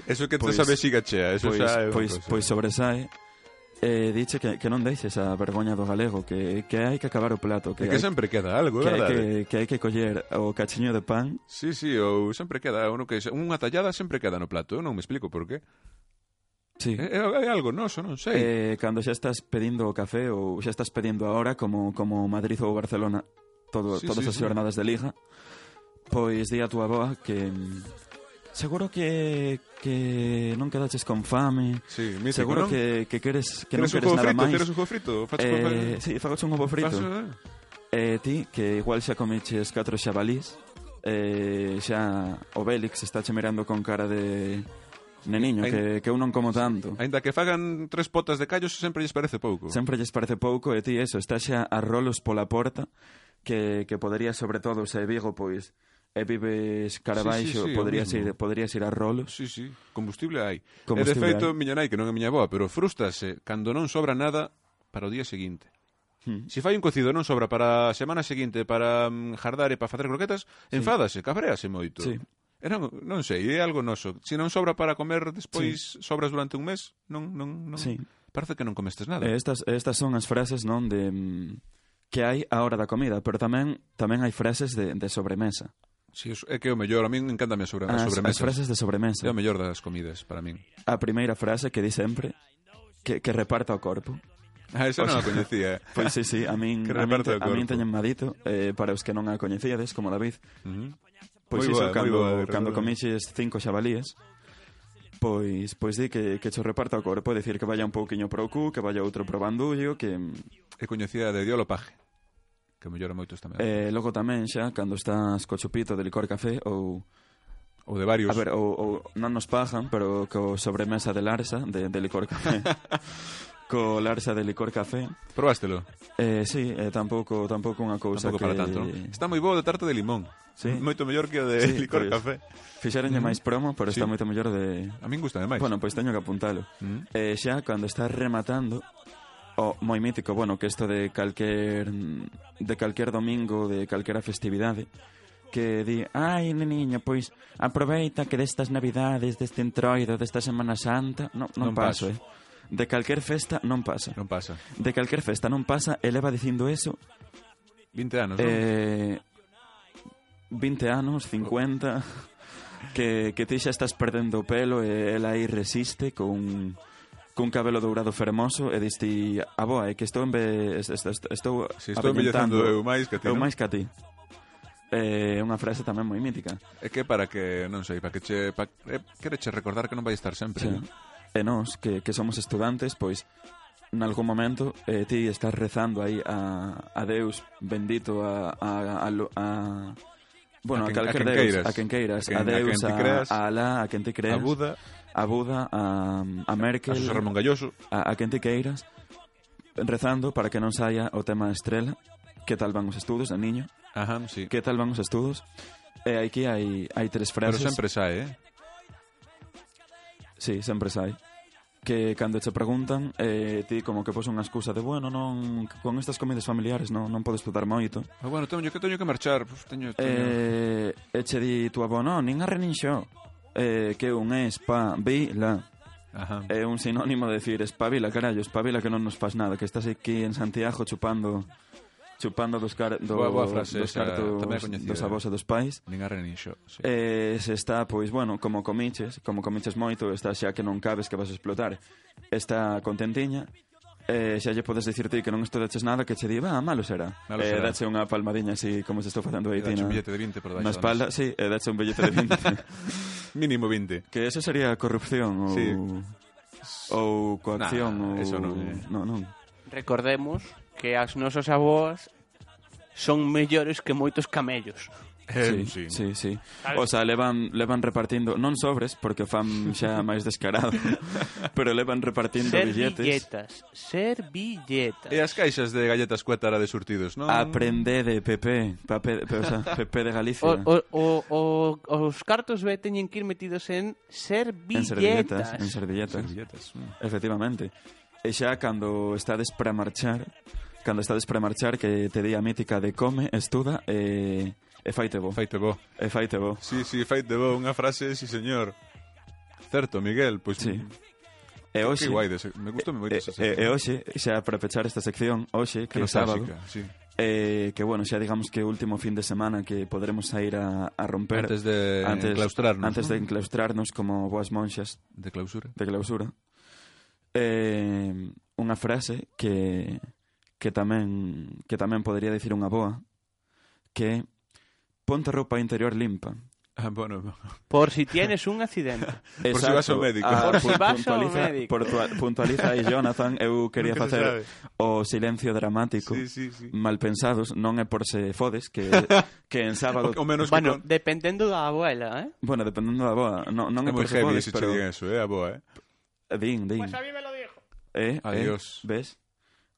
Eso que te Pois- sabe xiga chea, eso pois, xa é unha pois, cousa. pois sobresae. E diche que, que non deixes a vergoña do galego, que, que hai que acabar o plato, que, É que hai, sempre queda algo, que, é hai verdade? que, que hai que coller o cachiño de pan. Sí, sí, ou sempre queda uno que unha tallada sempre queda no plato, eu non me explico por qué. Sí. É, é algo noso, non sei. Eh, cando xa estás pedindo o café ou xa estás pedindo a hora como, como Madrid ou Barcelona todo, Sí, todas sí, as sí. jornadas de liga, pois di a túa boa que mm, seguro que, que non quedaches con fame, Sí, mítico, seguro non? que, que queres que non Queres un queres juego nada frito? máis. Queres un juego frito? Faches con Eh, sí, fagoche un ovo frito. Facho, eh? E ti, que igual xa comeches catro xabalís, eh, xa o Bélix está che mirando con cara de neniño, Ai- que, que eu non como tanto. Ainda que fagan tres potas de callos sempre lles parece pouco. Sempre lles parece pouco e ti eso, está xa a rolos pola porta, que, que podería sobre todo se Vigo, pois, e vives cara Sí, sí, baixo, sí, o poderías, mismo. ir, poderías ir a rolos. Sí, sí, combustible hai. Combustible e de feito, hai. miña nai, que non é miña boa, pero frústrase cando non sobra nada para o día seguinte. Hmm. Se fai un cocido non sobra para a semana seguinte para mm, jardar e para facer croquetas, enfádase, cabrease moito. Sí. E non, non sei, é algo noso. Se non sobra para comer despois, sobras durante un mes, non, non, non. Sí. Parece que non comestes nada. E estas, estas son as frases, non, de mm, que hai a hora da comida, pero tamén tamén hai frases de, de sobremesa. Si, é que é o mellor, a min encántame sobre, as As, sobremesas. as frases de sobremesa. É o mellor das comidas para min. A primeira frase que di sempre, que, que reparta o corpo. Ah, esa O non a sea, coñecía. Pois sí, sí, a min, Que a min, reparta te, o a min corpo. teñen madito, eh, para os que non a coñecíades, como David. Uh -huh. Pois Moi iso, boa, moi cando, boa, cando verdade. comiches cinco xabalíes, pois pois di que, que cho reparta o corpo, é dicir que vaya un pouquiño pro cu, que vaya outro pro bandullo, que E coñecía de diolopaje, que mellora moitos tamén. eh, logo tamén xa, cando estás co chupito de licor café, ou, Ou de varios. a ver, ou, ou non nos pajan, pero co sobremesa de Larsa, de, de licor café. co larxa de licor café. Probástelo? Eh, sí, eh, tampouco tampouco unha cousa Tampouco que... para tanto, non? Está moi bo de tarta de limón. Sí. Moito mellor que o de Sí, licor pois, café. Fixeronlle máis promo, pero Sí. está moito mellor de... A min gusta máis. Bueno, pois teño que apuntalo. Mm. Eh, xa, cando estás rematando, o moi mítico, bueno, que isto de calquer de calquer domingo, de calquera festividade, que di, ai, neniño, pois aproveita que destas navidades, deste entroido, desta Semana Santa, non, non, Non paso, paso. eh. De calquer festa non pasa. Non pasa. De calquer festa non pasa, e leva dicindo eso vinte anos, non? eh, vinte anos, cincuenta, que, que ti xa estás perdendo o pelo e ela aí resiste con cun cabelo dourado fermoso e diste, aboa, é que estou en ve, estou, estou Si estou avellentando embellezando eu máis que ti, eu non? máis que a ti. É eh, unha frase tamén moi mítica. É que para que, non sei, para que che... Pa, eh, quereche recordar que non vai estar sempre, Sí. non? E nós, que, que somos estudantes, pois nalgún momento eh, ti estás rezando aí a, a Deus bendito a, a, a, a, a bueno, A a, quen- calquer a quen Deus, queiras. a quen queiras, A quen- a a Deus, quen ti a, creas. a Alá, a quen ti creas, A Buda, a Buda, a, a Merkel, a José Ramón Galloso. a, a quen ti queiras, rezando para que non saia o tema estrela. Que tal van os estudos, de niño? Ajá, sí. Que tal van os estudos? E aquí hai, hai tres Pero frases. sempre sae, eh? Sí, sempre sai. Que cando che preguntan, eh, ti como que pos unha excusa de, bueno, non, con estas comidas familiares non, non podo estudar moito. Ah, bueno, teño que teño que marchar, pues, teño, teño... Eh, e che di tu avó, non, nin a reninxo. Eh, que un espabila. Ajá. É un sinónimo de decir espabila, carallo, espabila que non nos faz nada, que estás aquí en Santiago chupando chupando dos, car do, Boa- boa frase dos esa, cartos tamén é coñecida. dos avós e dos pais. Nin a reninxo, sí. Eh, se está, pois, bueno, como comiches, como comiches moito, está xa que non cabes que vas a explotar. Está contentiña, eh, xa lle podes dicir ti que non estudaches nada, que che di, va, malo será. Malo eh, será. dache unha palmadiña así, como se estou facendo aí, E dache ti, un na, billete de vinte por na baixo. espalda, sí, e dache un billete de vinte. Mínimo vinte. Que eso sería corrupción ou... Sí. Ou coacción, Nah, ou... eso non é. Non, non. Recordemos que as nosas aboas son mellores que moitos camellos. Eh, Sí, sí. sí, sí. O sea, levan, levan repartindo, non sobres, porque fan xa máis descarado, pero levan repartindo billetes. Servilletas, servilletas. E as caixas de galletas cuétara de surtidos, non? Aprende de Pepe, Pape, pero, o sea, Pepe de Galicia. O, o, o, o, os cartos B teñen que ir metidos en En servilletas, servilletas. en servilletas. Servilletas. mm. Efectivamente. E xa cando estades para marchar, cando estades para marchar, que te di a mítica de come, estuda e, e faite bo. Faite bo. E faite bo. Sí, sí, faite bo, unha frase, sí, señor. Certo, Miguel, pois... Sí. Que E hoxe, guai, dese- me gustou moito e, esa e, e sección. hoxe, xa para pechar esta sección, hoxe, que Que no sábado, clásica, sí. eh, que bueno, xa digamos que o último fin de semana que poderemos sair a, a romper Antes de enclaustrarnos, antes ¿no? de enclaustrarnos como boas monxas De clausura. de clausura. Eh, unha frase que que tamén que tamén podría dicir unha boa, que é, ponte roupa interior limpa. Ah, bueno, Por si tienes un accidente. Por si vas ao médico. Ah, Por si pu- vas ao puntualiza, médico. portua- puntualiza aí Jonathan, eu quería Nunca se facer sabe. o silencio dramático. sí, sí, sí. Mal pensados, non é por se fodes que que en sábado, O, o menos Bueno, que... Con... dependendo da abuela, eh? bueno, dependendo da boa, non non É é moi por se heavy fodes, se pero che digan eso, eh, a boa, eh. din, din. Pues a mí me lo dijo. Eh, Adiós. eh, ves?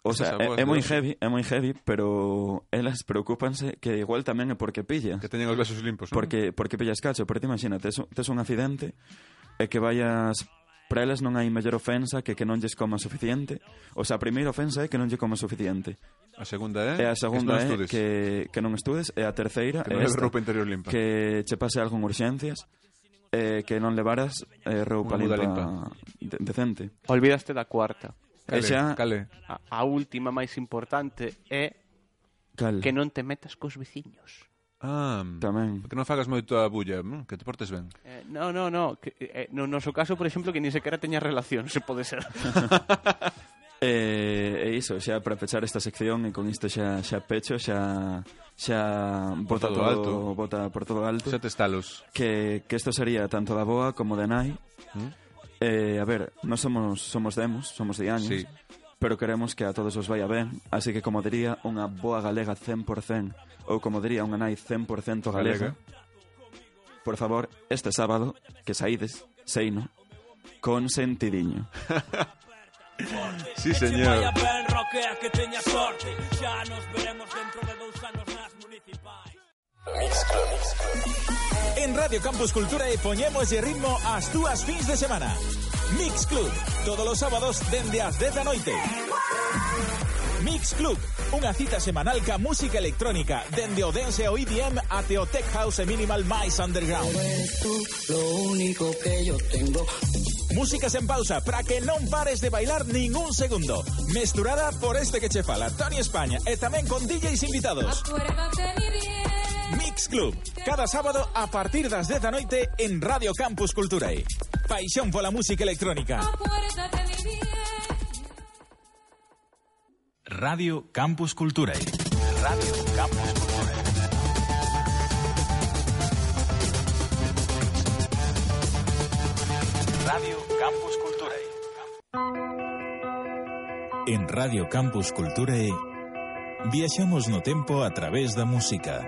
O Esas sea, é, aboas é de moi hoxe. heavy, é moi heavy, pero elas preocúpanse que igual tamén é porque pillas. Que teñen os vasos limpos, non? Porque porque pillas cacho, pero te imagina, tes, un- tes un accidente e que vayas para elas non hai mellor ofensa que que non lles coma suficiente. O sea, a primeira ofensa é que non lle coma suficiente. A segunda é... E a segunda que non é estudes. que, que non estudes. E a terceira Que é non leves esta, roupa interior limpa. que che pase algo en urxencias, eh, que non levaras eh, roupa Unha muda limpa, de, decente. Olvidaste da cuarta. Cale, E xa- cale. A, a última máis importante é Cal, que non te metas cos veciños. Ah, tamén. que non fagas moito a bulla, mm, que te portes ben. Eh, no, no, no. Que, eh, no noso caso, por exemplo, que ni sequera teña relación, se pode ser. E, e iso, xa para pechar esta sección e con isto xa xa pecho, xa xa Por bota todo todo, alto. bota por todo alto. Xa te estalos. Que que isto sería tanto da boa como de nai. Mm? Eh, a ver, non somos somos demos, somos de años. Sí. Pero queremos que a todos os vaya ben, así que como diría unha boa galega cen por cento, ou como diría unha nai cen por cento galega, Galega. por favor, este sábado, que saídes, seino, con sentidiño. Sí, señor. En Radio Campus Cultura e poñemos de ritmo as túas fins de semana. Mix Club, todos os sábados dende as dez da noite. Mix Club, unha cita semanal ca música electrónica, dende o dance e o E D M até o tech house e minimal máis underground. Lo único que yo tengo. Músicas en pausa para que non pares de bailar ningún segundo. Mesturada por este que che fala, Tony España, e tamén con D Js invitados. Mix Club, cada sábado a partir das dez da noite en Radio Campus Culturae. Paixón pola música electrónica. Radio Campus Culturae. Radio Campus Culturae. Radio Campus Culturae. En Radio Campus Culturae viaxamos no tempo a través da música.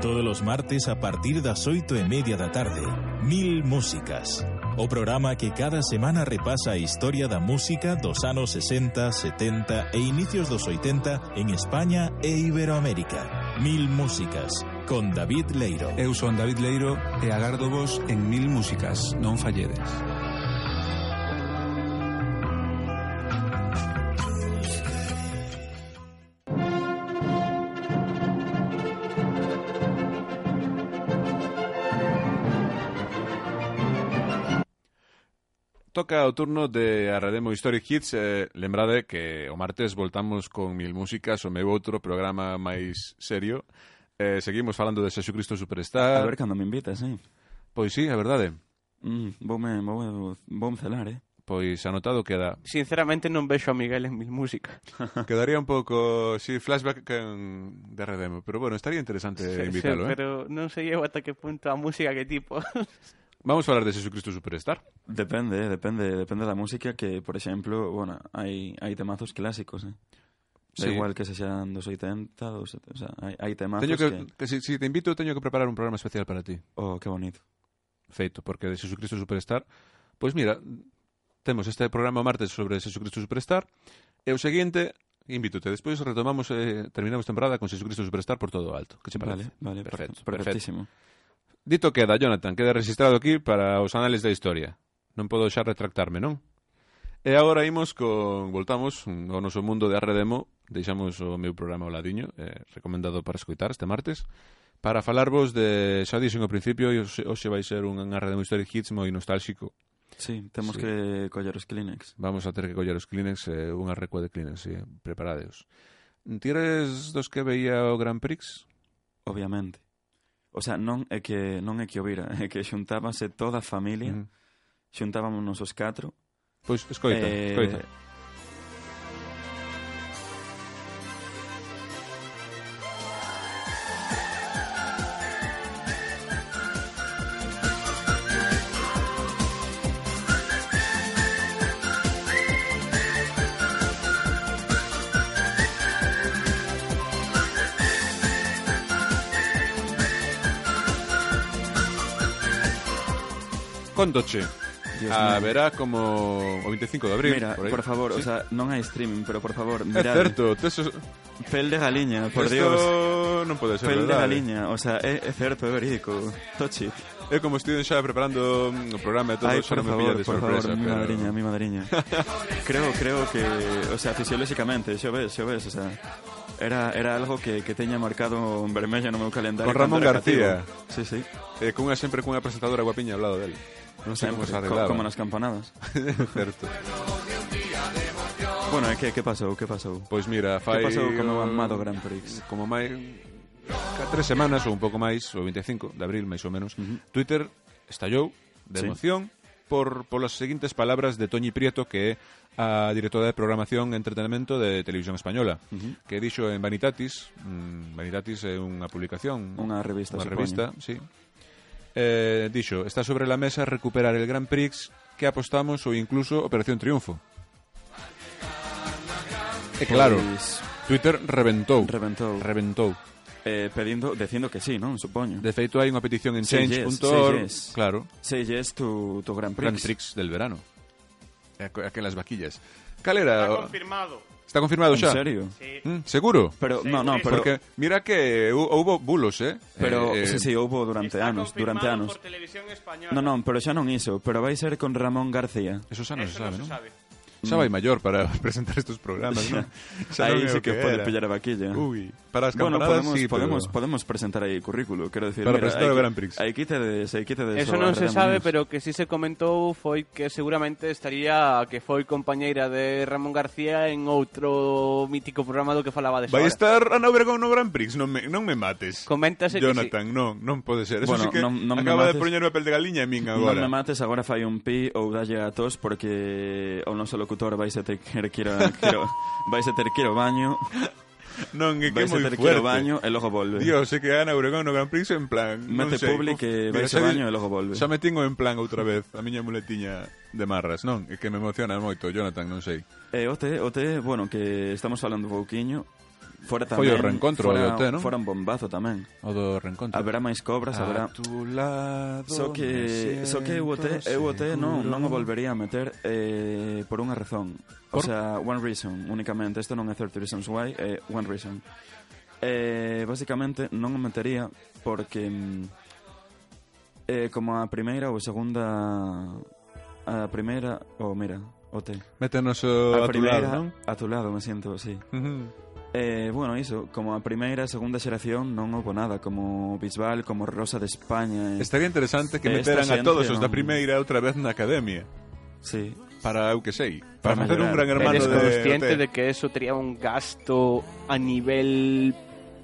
Todos os martes a partir das oito e media da tarde, Mil Músicas. O programa que cada semana repasa a historia da música dos anos sesenta, setenta e inicios dos oitenta en España e Iberoamérica. Mil Músicas, con David Leiro. Eu son David Leiro e agardo vos en Mil Músicas, non falledes. Toca o turno de Arredemo Historic Hits. eh, Lembrade que o martes voltamos con Mil Músicas, o meu outro programa máis serio. eh, Seguimos falando de Xesucristo Superstar. A ver cando me invitas, eh? Pois sí, é verdade. Mm, voume, voume, voume celar, eh? Pois anotado queda. Sinceramente non vexo a Miguel en Mil Músicas. Quedaría un pouco, sí, flashback en, de Arredemo. Pero bueno, estaría interesante Sí, invitalo, sí, eh? pero non sei eu ata que punto a música que tipo. Vamos a falar de Xesucristo Superstar. Depende, eh, depende, depende da música que, por exemplo, bueno, hai hai temazos clásicos, eh. Da Sí. igual que se xan dos oitenta, dos, o sea, hai, hai temazos Teño que, que... que si, si te invito, teño que preparar un programa especial para ti. Oh, que bonito. Feito, porque de Xesucristo Superstar, pois mira, temos este programa o martes sobre Xesucristo Superstar, e o seguinte, invítote, despois retomamos, eh, terminamos temporada con Xesucristo Superstar por todo o alto. Que che parece? Vale, vale, Perfecto, perfecto, perfectísimo. Dito queda, Jonathan, queda registrado aquí para os anales da historia. Non podo xa retractarme, non? E agora imos con... Voltamos ao noso mundo de Arredemo. Deixamos o meu programa ao ladiño, eh, recomendado para escoitar este martes, para falarvos de... Xa dixen ao principio, e hoxe, hoxe vai ser un Arredemo Historic Hits moi nostálxico. Sí, temos Sí. que coller os Kleenex. Vamos a ter que coller os Kleenex, eh, unha recua de Kleenex, sí, preparadeos. Ti eres dos que veía o Grand Prix? Obviamente. O sea, non é que non é que o vira, é que xuntábase toda a familia, Uh -huh. xuntábamos os catro. Pois, escoita, eh, escoita. Contoche. Dios Ah, mío. verá como o veinticinco de abril. Mira, por, aí. por favor, ¿Sí? o sea, non hai streaming, pero por favor, É mirad. certo, teso... Pel de galiña, por Esto Dios. non pode ser Pel de verdade. galiña, o sea, é, é certo, é verídico. Tochi. É como estiven xa preparando mm, o programa e todo, Ai, xa por non me favor, pilla de por sorpresa. favor, mi pero... madriña, mi madriña. creo, creo que, o sea, fisiolóxicamente, xo ves, xo ves, o sea, era, era algo que, que teña marcado en vermello no meu calendario. Con Ramón cando era García. cativo. Sí, sí. Eh, cunha, sempre cunha presentadora guapiña ao lado dele. Non sei como se Sempre, arreglaba. co- como nas campanadas. Certo. Bueno, e que, que pasou, que pasou? Pois mira, fai... Que pasou con o um, amado Grand Prix? Como máis... Ca tres semanas ou un pouco máis, o veinticinco de abril, máis ou menos, Uh -huh. Twitter estallou de Sí. emoción por polas seguintes palabras de Toñi Prieto, que é a directora de programación e entretenimento de Televisión Española, Uh -huh. que dixo en Vanitatis, mm, Vanitatis é unha publicación, Unha revista, unha supoño. revista, sí. Eh, dixo, está sobre la mesa recuperar el Grand Prix que apostamos ou incluso Operación Triunfo. E claro, Pois, Twitter reventou, reventou. reventou. Eh, pedindo, dicindo que sí, non? Supoño. De feito, hai unha petición en Say change yes, punto say org, yes. claro, Say yes to, to Grand Prix. Grand Prix del verano. aquelas vaquillas. Cal era? Está confirmado. Está confirmado En xa? serio? Sí. Mm, seguro? Pero, Sí, no, no, sí. pero... Porque mira que hu- houbo bulos, eh? Pero, eh, sí, sí, houbo durante Está anos, confirmado durante anos. por Televisión Española. Non, non, pero xa non iso, pero vai ser con Ramón García. Eso xa non Eso se sabe, non se non? sabe. Xa vai maior para presentar estes programas, non? Xa non Aí é sí o que pode era. pillar a vaquilla. Ui, para as Bueno, campanadas podemos, sí, podemos, pero... podemos presentar aí currículo, quero decir, Para mira, presentar hai o que- Grand Prix. Aí quitedes, aí quitedes Eso o non se Arredemo sabe, News. pero que sí se comentou foi que seguramente estaría que foi compañeira de Ramón García en outro mítico programa do que falaba de Vai Sora. estar Ana Obregón no Grand Prix, non me, non me mates. Coméntase que Jonathan, non, non pode ser. Eso Bueno, sí que non- non me acaba de mates. poñerme a pel de galiña a min Non agora. me mates, agora fai un pi ou dalle a tos porque o noso locutor vai se ter que ir a- quero, vai se ter que ir ao baño, Non, é que vai é se moi ter que ir fuerte. ao baño e logo volve. Dios, é que Ana Obregón no Grand Prix en plan, non Mete sei. public Uf, e mira, vai se xa ao vi- baño e logo volve. Xa me tingo en plan outra vez a miña muletiña de marras, non? É que me emociona moito, Jonathan, non sei. E o te, o te, bueno, que estamos falando un pouquiño, fora Foi tamén, o reencontro fora, do O T, non? fora un bombazo tamén. O do reencontro. Haberá máis cobras, haberá... A tu lado Só que, me só que eu o te, eu o te non, non o volvería a meter eh, por unha razón. O Por? sea, one reason, únicamente. Isto non é thirty reasons why, é one reason. Eh, basicamente, non o metería porque mm, eh, como a primeira ou a segunda... A primeira, oh, mira, o te. Métenos o A a tu primeira, lado, non? a tu lado, me siento, sí. Ujú. Eh, bueno, iso, como a primeira e segunda xeración non houve nada, como Bisbal, como Rosa de España. E... Estaría interesante que Esta meteran a xente todos os da non- primeira outra vez na academia. Sí. Para, eu que sei, Para para facer un mellorar. gran hermano Eres de, consciente de, de que eso tería un gasto a nivel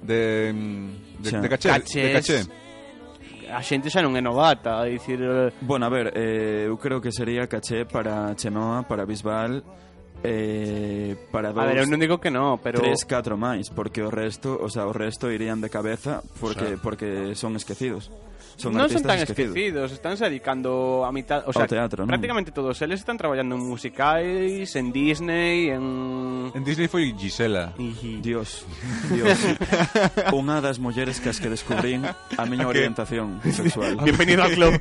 de, mm, de, Xa. de caché, Cachés. de caché. a xente xa non é novata, a dicir, eh, Bueno, a ver, eh, eu creo que sería caché para Chenoa, para Bisbal, eh, para a dous, ver, eu non digo que no, pero tres, catro máis, porque o resto, o sea, o resto irían de cabeza porque Xa. porque son esquecidos. Son non son artistas tan esquecidos. esquecidos, están se dedicando a mitad, o sea, Ao teatro, non? prácticamente todos eles están traballando en musicais, en Disney, en En Disney foi Gisela. Dios, Dios. Unha das mulleres que as que descubrín a miña A que- orientación sexual. Bienvenido al club.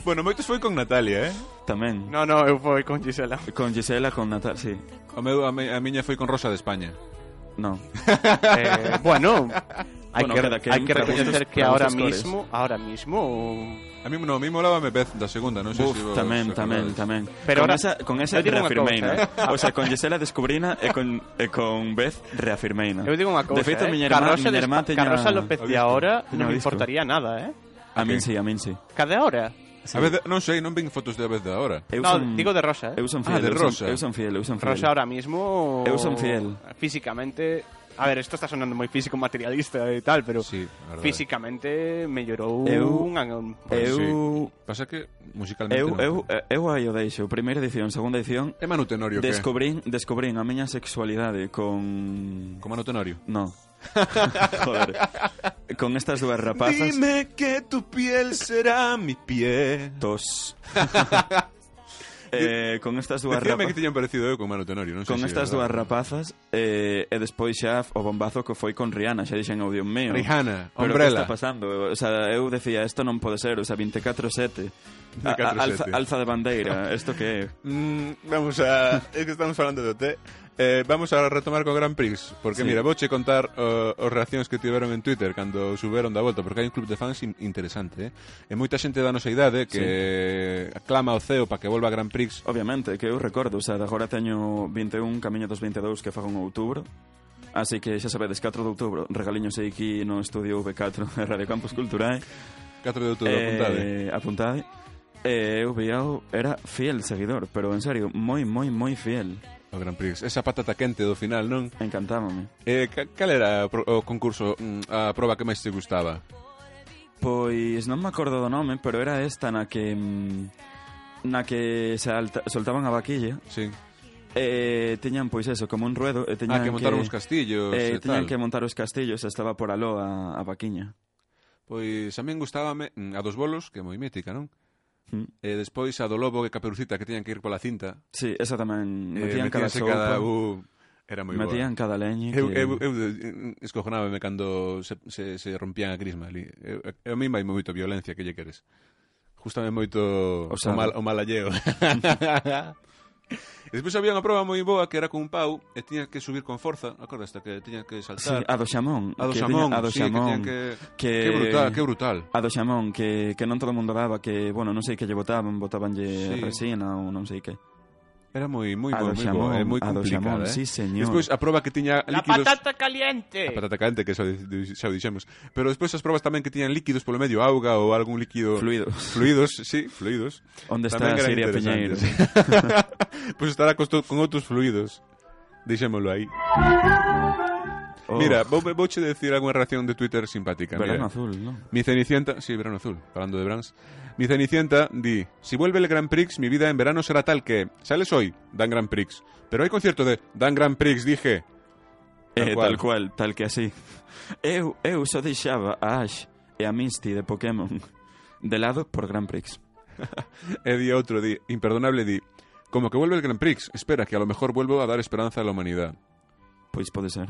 Bueno, moitos foi con Natalia, eh? Tamén. No, no, eu foi con Gisela. Con Gisela, con Natal, sí. O meu, a, me, a miña foi con Rosa de España. No. Eh, bueno, hai Bueno, que, cada quen hai que para reconocer gustos- que para ahora gustos cores. mismo, ahora mismo A mí no, a mí molábame Beth da segunda, non sei Uf, se vos tamén, acordades. tamén, tamén. Pero con ahora- esa, con esa eu digo unha reafirmeina. cousa, O sea, con Gisela descubrina e con, e con Beth reafirmeina. eu digo unha cousa, De feito, eh? miña irmá, Carrosa, miña de irmá Espa- teña... Carrosa López O de disco. ahora Teña non o me disco. importaría nada, eh? A min sí, a min sí. Cada hora. A vez, non sei, non ven fotos de a vez de ahora. Eu No, son, digo de Rosa, eh? Eu son Ah, fiel, de eu son- Rosa. Eu son fiel, eu son fiel. Rosa ahora mismo... Eu son fiel. Físicamente... A ver, esto está sonando moi físico materialista e tal, pero Sí, a verdade. físicamente mellorou Eu- unha... un- Pois Eu... sí. Pasa que musicalmente Eu, non. eu, eu aí o deixo. Primeira edición, segunda edición. É Manu Tenorio, que? Descubrín, descubrín a miña sexualidade con... Como Manu Tenorio. No. Joder. Con estas dúas rapazas. Dime que tu piel será mi pie. Tos. eh, con estas dúas Decíame que rapazas. tiñan parecido eu con Manu Tenorio, non sei Con se estas é dúas verdade. rapazas eh, e despois xa o bombazo que foi con Rihanna, xa dixen, oh Dios mío. Rihanna, Pero Umbrella. que está pasando? O sea, eu decía, isto non pode ser, o sea, veinticuatro sete. A- a- alza, veinticuatro sete. alza de bandeira, isto que é? Mm, vamos a... Es que estamos falando de O T. Eh, vamos a retomar co Grand Prix. Porque, Sí. mira, vouche contar uh, os reaccións que tiveron en Twitter cando suberon da volta, porque hai un club de fans in interesante, eh? E moita xente da nosa idade que aclama ao ceo para que volva a Grand Prix. Obviamente, que eu recordo, o sea, de agora teño vinte e un, camiño dos vinte e dous que fago en outubro. Así que xa sabedes, catro de outubro, regaliños aí aquí no estudio V catro de Radio Campus Culturae. catro de outubro, apuntade. Eh, apuntade. E eu veao, era fiel seguidor, pero en serio, moi, moi, moi fiel. O Grand Prix. Esa patata quente do final, non? Encantábame. Eh, ca- cal era o, pro- o concurso, mm, a proba que máis te gustaba? Pois non me acordo do nome, pero era esta na que mm, na que se alta, soltaban a vaquilla Sí. e teñan pois eso, como un ruedo e teñan Ah, que montaron os castillos e e teñan tal. que montar os castillos e estaba por aló a, a vaquiña. Pois a min gustábame mm, a dos bolos, que é moi mítica, non? Mm. E despois a do lobo e Caperucita, que tiñan que ir pola cinta. Sí, esa tamén Eh, metían cada metíanse sopa, cada... Uh, era moi boa. metían cada leñe Eu, que... eu, eu eh, escojonábame cando se, se, se rompían a crisma ali. Eu, eu, a mí vai moito violencia, que lle queres? Gústame moito o, O mal, o malalleo. E despois había unha proba moi boa que era con un pau e tiña que subir con forza, acordaste que tiña que Sí, saltar. a do xamón. A do que xamón, tiña- a do sí, que xamón, tiñan que... que- Que brutal, que brutal. A do xamón, que, que non todo o mundo daba, que, bueno, non sei que lle botaban, botabanlle Sí. resina ou non sei que. Era moi moi A moi, do moi xamón, boa, é moi a do complicada, xamón, eh. sí, señor. Despois a proba que tiña La líquidos... patata caliente. A patata caliente, que xa, o di- xa o dixemos. Pero despois as probas tamén que tiñan líquidos polo medio, auga ou algún líquido... Fluidos. Fluidos, sí, fluidos. Onde está Tamén eran Siria Piñeiro? interesantes. Pois estará con, con outros fluidos. Deixémolo aí. Oh, Mira, vou, vouche decir algunha reacción de Twitter simpática. verano Mira. azul, ¿no? Mi Cenicienta, sí, verano azul, hablando de Brands. Mi Cenicienta di, si vuelve el Grand Prix, mi vida en verano será tal que, sales hoy, Dan Grand Prix, pero hay concierto de Dan Grand Prix, dije. Eh, tal cual, tal que así. Eu, eu só deixaba a Ash e a Misty de Pokémon de lado por Grand Prix. E di outro, di, imperdonable, di, como que vuelve el Grand Prix, espera, que a lo mejor vuelvo a dar esperanza a la humanidad. Pois pode ser.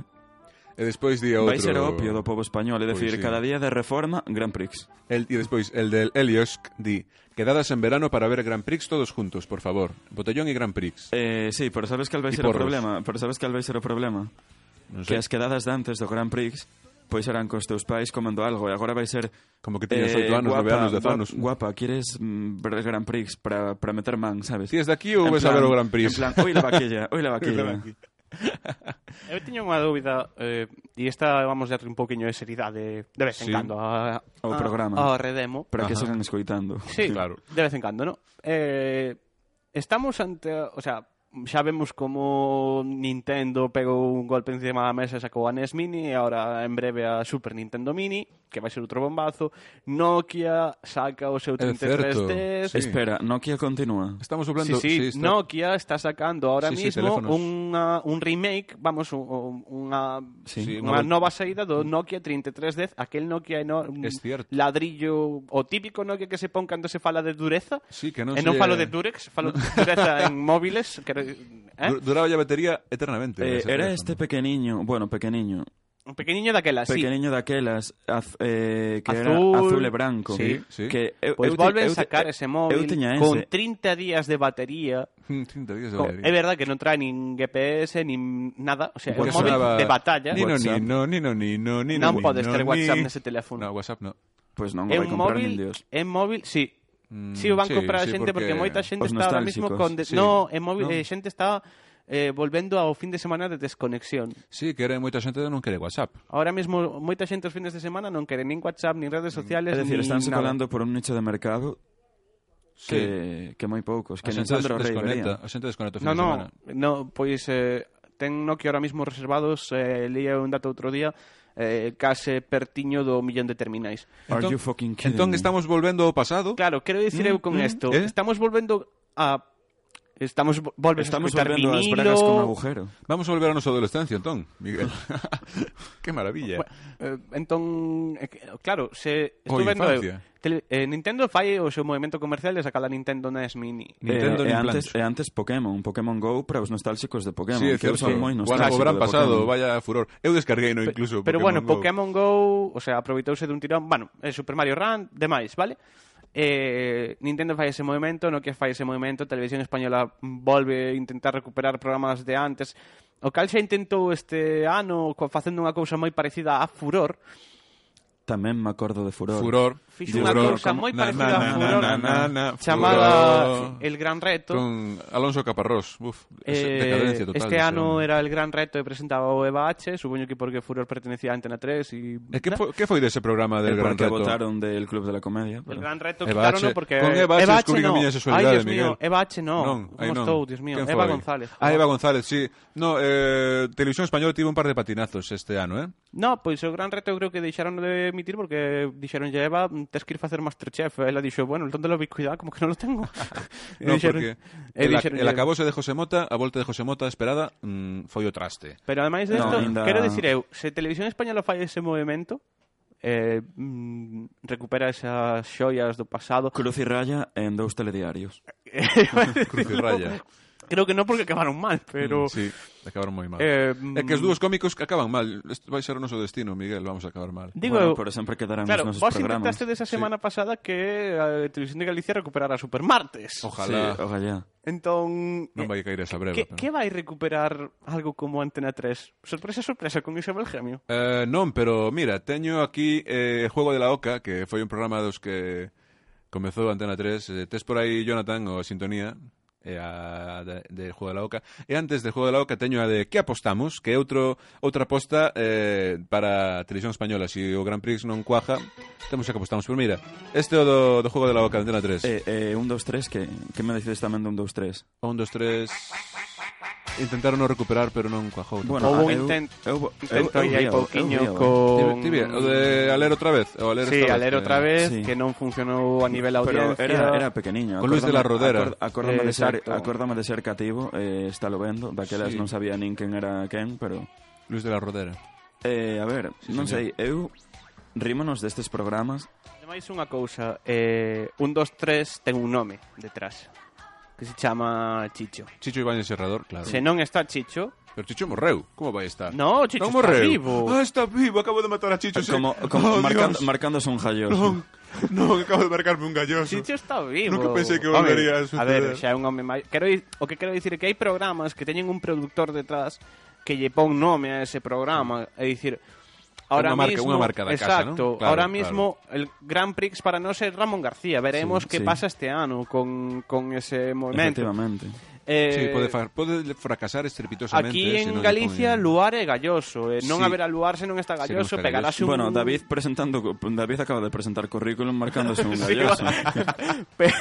E despois di outro... Vai ser o opio do povo español, é Pois dicir, sí. cada día de reforma, Grand Prix. El, e despois, el del Eliosk di, quedadas en verano para ver Grand Prix todos juntos, por favor. Botellón e Grand Prix. Eh, sí, pero sabes cal vai E ser o porros. problema? Pero sabes cal vai ser o problema? Non Que sei, as quedadas de antes do Grand Prix pois eran cos teus pais comendo algo e agora vai ser como que tiñas oito anos, nove anos, dez guapa, anos. Guapa, quieres mm, ver Grand Prix para para meter man, sabes? Si es de aquí ou En ves a plan- ver o Grand Prix? En plan, oi la vaquilla, oi la vaquilla. Eu tiño unha dúbida eh, e esta vamos a darle un poquinho de seriedade de vez en Sí. cando a, Ao a- programa. ao Redemo. Para que Ajá. sigan escoitando. Sí, Claro. de vez en cando, ¿no? Eh, estamos ante, o sea, xa vemos como Nintendo pegou un golpe encima da mesa e sacou a N E S Mini e agora en breve a Super Nintendo Mini, que vai ser outro bombazo. Nokia saca o seu É trinta e tres certo, D. sí. Espera, Nokia continúa. Estamos Sí, hablando... sí, está- Nokia está sacando ahora Sí, sí, mismo teléfonos. unha, un remake, vamos, un- unha, Sí. Sí, unha unha- nova saída do Nokia trinta e tres D, aquel Nokia enorme, Es cierto. ladrillo, o típico Nokia que se pon cando se fala de dureza. Sí, que non e non se- falo de Durex, falo de dureza en móviles. Que, eh? Du- Duraba a batería eternamente. Eh, ese era teléfono. este pequeniño, bueno, pequeniño, Un pequeniño daquela, sí. pequeniño daquelas az, eh, que era Azul. azul e branco. Sí, sí. Que eu, Pois eu, volven eu, sacar eu, ese móvil eu tiña con ese. trinta días de batería. trinta días de Co- batería. É verdad que non trae nin G P S, nin nada. O sea, é un Que móvil sonaba de batalla. Ni no, ni WhatsApp. no, ni no, ni no, ni no, Non ni podes no, ter ni- WhatsApp nese teléfono. No, WhatsApp no. Pois non o É vai un comprar móvil, nin Dios. é móvil, sí. Mm, Sí, o van sí, comprar a sí, xente porque, porque moita xente os está ahora mismo nostálxicos. con de... Sí. No, é móvil, No. eh, xente está eh, volvendo ao fin de semana de desconexión. Sí, que era moita xente que non quere WhatsApp. Ahora mesmo moita xente os fines de semana non quere nin WhatsApp, nin redes sociales, É dicir, nin estánse nada. colando por un nicho de mercado Sí. que, que moi poucos, que a nin xente Sandro Rey desconecta, vería. a xente desconecta o fin No, de no, semana. no, pois eh, ten Nokia ahora mismo reservados, eh, leía un dato outro día, eh, case pertiño do millón de terminais. Are Entón- you fucking kidding Entón me? estamos volvendo ao pasado. Claro, quero dicir eu con isto, eh? estamos volvendo a estamos vo- volvendo Estamos a escutar volvendo ás vinilo. bragas con agujero. Vamos a volver a nosa adolescencia, entón, Miguel. Que maravilla. Eh, entón, eh, que- claro, se estou O vendo eu, infancia. tele, eh, Nintendo fai o seu movimento comercial de sacar a Nintendo N E S Mini. Nintendo e, e nin antes, plans. e antes Pokémon, Pokémon Go para os nostálxicos de Pokémon, Sí, é que eu certo. son moi Bueno, nostálxico o verán de pasado, Pokémon. vaya furor. Eu descarguei no incluso Pero bueno, Go. Pokémon Go, o sea, aproveitouse dun tirón, bueno, eh, Super Mario Run, demais, vale? Eh, Nintendo fai ese movimento, Nokia fai ese movimento, Televisión Española volve a intentar recuperar programas de antes, o cal xa intentou este ano co- facendo unha cousa moi parecida a Furor. Tamén me acordo de Furor. Furor. Fixo Furor, unha cousa como- moi na, parecida na, a na, Furor, na, na, na, chamada Furor. El Gran Reto. Con Alonso Caparrós. Uf, es Eh, decadencia total. este ese ano hombre. era El Gran Reto e presentaba o Eva H, supoño que porque Furor pertenecía a Antena tres e... E que foi, que foi dese programa del El Gran porque Reto? votaron del Club de la Comedia. El Pero... Gran Reto Eva quitaron H. no porque Con Eva H descubrí a no. miña sexualidade, Ai, Dios mío, Miguel. Eva H no. Non, ai, Como non. estou, Dios mío? Quen Eva foi? González. Ah, Eva González, sí. No, eh, Televisión Española tivo un par de patinazos este ano, eh? No, pois o Gran Reto eu creo que deixaron de emitir porque dixeron ya Eva, tes que ir facer Masterchef. Ela dixo, bueno, ¿dónde lo vi? Cuidado, como que non lo tengo. E No, dixeron- porque e el, dixeron, el acabose de José Mota, a volta de José Mota esperada, mm, foi o traste. Pero ademais de No, isto, ainda- quero dicir eu, se Televisión Española fai ese movimento, eh, mm, recupera esas xoias do pasado. Cruz e raya en dous telediarios. Cruz e raya. Creo que non porque acabaron mal, pero... Mm, sí, acabaron moi mal. Eh, É que os dúos cómicos que acaban mal. Este vai ser o noso destino, Miguel, vamos a acabar mal. Digo, Bueno, pero sempre quedarán claro, os nosos vos programas. intentaste desa semana sí. pasada que a Televisión de Galicia recuperara Supermartes. Ojalá. Sí, ojalá. Entón... Non vai caer esa breva. Que, pero... que vai recuperar algo como Antena tres? Sorpresa, sorpresa, con Isabel Gemio. Eh, non, pero mira, teño aquí eh, Juego de la Oca, que foi un programa dos que comezou Antena tres. Eh, tes por aí, Jonathan, o a sintonía e a de, de Juego de la Oca. E antes de Juego de la Oca teño a de Que apostamos, que é outro outra aposta eh, para a televisión española. Se si o Grand Prix non cuaja, temos a que apostamos. Pero mira, este é o do, do Juego de la Oca, Antena tres. Eh, eh, un, dos, tres, que, que me decides tamén de un, dos, tres? Un, dos, tres... Intentaron non recuperar, pero non cuajou. Bueno, Houve un eu- intent, eu- intento eu- eu aí hai víao, pouquiño eu víao. con... Ti, ti, o de a ler outra vez, o a ler Sí, esta a ler vez, outra que- vez, sí. que non funcionou a nivel Pero audiencia. era, era pequeniño. Con Luis de la Rodera. Acord, acórdame, Eh, de ser, exacto. acórdame de ser cativo, eh, está lo vendo. Daquelas Sí. non sabía nin quen era quen, pero... Luis de la Rodera. Eh, a ver, Sí, non señor. sei, eu... Rímonos destes programas. Ademais, unha cousa, eh, un, dos, tres ten un nome detrás, que se chama Chicho. Chicho Ibáñez Serrador, claro. Se non está Chicho... Pero Chicho morreu, como vai estar? No, Chicho non está morreu. vivo. Ah, está vivo, acabo de matar a Chicho. sí. Como, como Oh, marcando, Dios. marcándose un jalloso. Non, non, acabo de marcarme un galloso. Chicho está vivo. Nunca pensei que Home, volvería a A suceder. ver, xa é un home máis... Quero, di- o que quero dicir é que hai programas que teñen un productor detrás que lle pon nome a ese programa. É dicir, ahora Unha marca- mismo... unha marca da casa, exacto, ¿no? Claro, ahora claro. mismo el Grand Prix para nós é Ramón García. Veremos Sí, que sí. pasa este ano con, con ese movimento. Efectivamente. Eh, Sí, pode, fa- pode fracasar estrepitosamente. Aquí se en non lle Galicia poñen- Luar é galloso, eh. non Sí. haberá Luar se non está Se non galloso, está pegarase un... Bueno, David presentando David acaba de presentar currículum marcándose un Sí, galloso. pero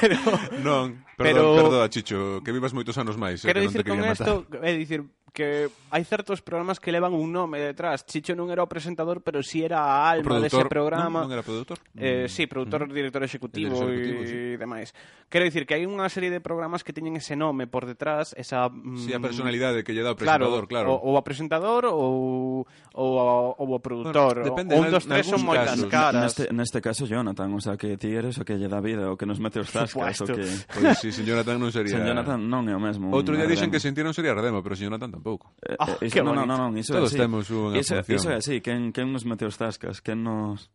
Non, perdón, Pero- perdón, Chicho, que vivas moitos anos máis. eh, quero que non te dicir con quería isto, matar. é dicir que hai certos programas que levan un nome detrás. Chicho non era o presentador, pero si sí era a O alma dese programa. Non, non era productor? Eh, Mm. sí, productor, director executivo El e director ejecutivo, demais. Quero dicir que hai unha serie de programas que teñen ese nome por detrás, esa... Sí, a mm, personalidade que lle dá o presentador, claro. O, o a presentador ou, ou, a- ou o produtor. Bueno, depende, o un nal- dos tres son nalgúns moitas casos. caras. Neste, neste caso, Jonathan, o sea, que ti eres o que lle dá vida, o que nos mete os zascas, o supuesto. que... Pois si, sin Jonathan non sería... Sen Jonathan non é o mesmo. Outro día un dixen que Ardemo. sentir non sería Redemo, pero sin Jonathan tampouco. Eh, Ah, eh, qué iso- non, non, bonito. non, iso Todos é así. temos unha iso, función. iso é así, quen, quen nos mete os zascas, quen nos...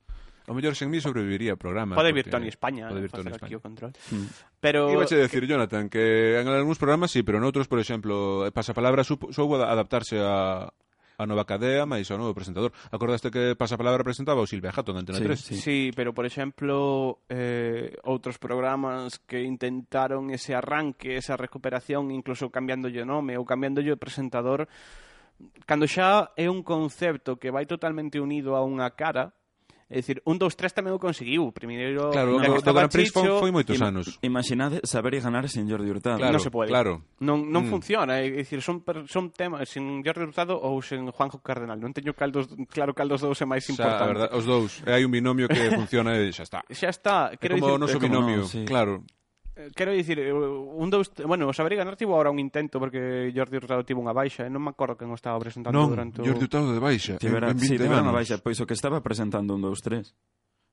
O mellor sen mí sobreviviría o programa. Pode porque- vir Tony España, Pode eh, vir Tony facer aquí España. o control. Mm. Pero Iba a decir, Jonathan, que en algúns programas sí, pero noutros, por exemplo, Pasapalabra supo- soubo a- adaptarse a, a nova cadea, máis ao novo presentador. Acordaste que Pasapalabra presentaba o Silvia Jato en Antena Sí, tres? sí. sí, pero por exemplo, eh, outros programas que intentaron ese arranque, esa recuperación, incluso cambiándolle o nome ou cambiándolle o presentador, cando xa é un concepto que vai totalmente unido a unha cara. É dicir, un, dos, tres tamén o conseguiu. Primeiro, Claro, ya o que do estaba Grand Prix foi, Chicho, foi moitos Im- anos. Imaginade saber e ganar sin Jordi Hurtado. Claro, non se pode. claro. Non, non Mm. funciona, é dicir, son, per- son temas sin Jordi Hurtado ou sen Juanjo Cardenal. Non teño caldos, claro cal dos dous é máis Xa, a importante. verdad, os dous. E hai un binomio que funciona e xa está. Xa está, É quero como o dicir, noso é como binomio, no, sí. claro. eh, quero dicir, eh, un dos, bueno, o Saber e Ganar tivo ahora un intento porque Jordi Hurtado tivo unha baixa, e non me acordo quen o estaba presentando Non, durante o... Jordi Hurtado de baixa. Tivera, en, en sí, vinte tivera anos. unha baixa, pois o que estaba presentando un, dos, tres.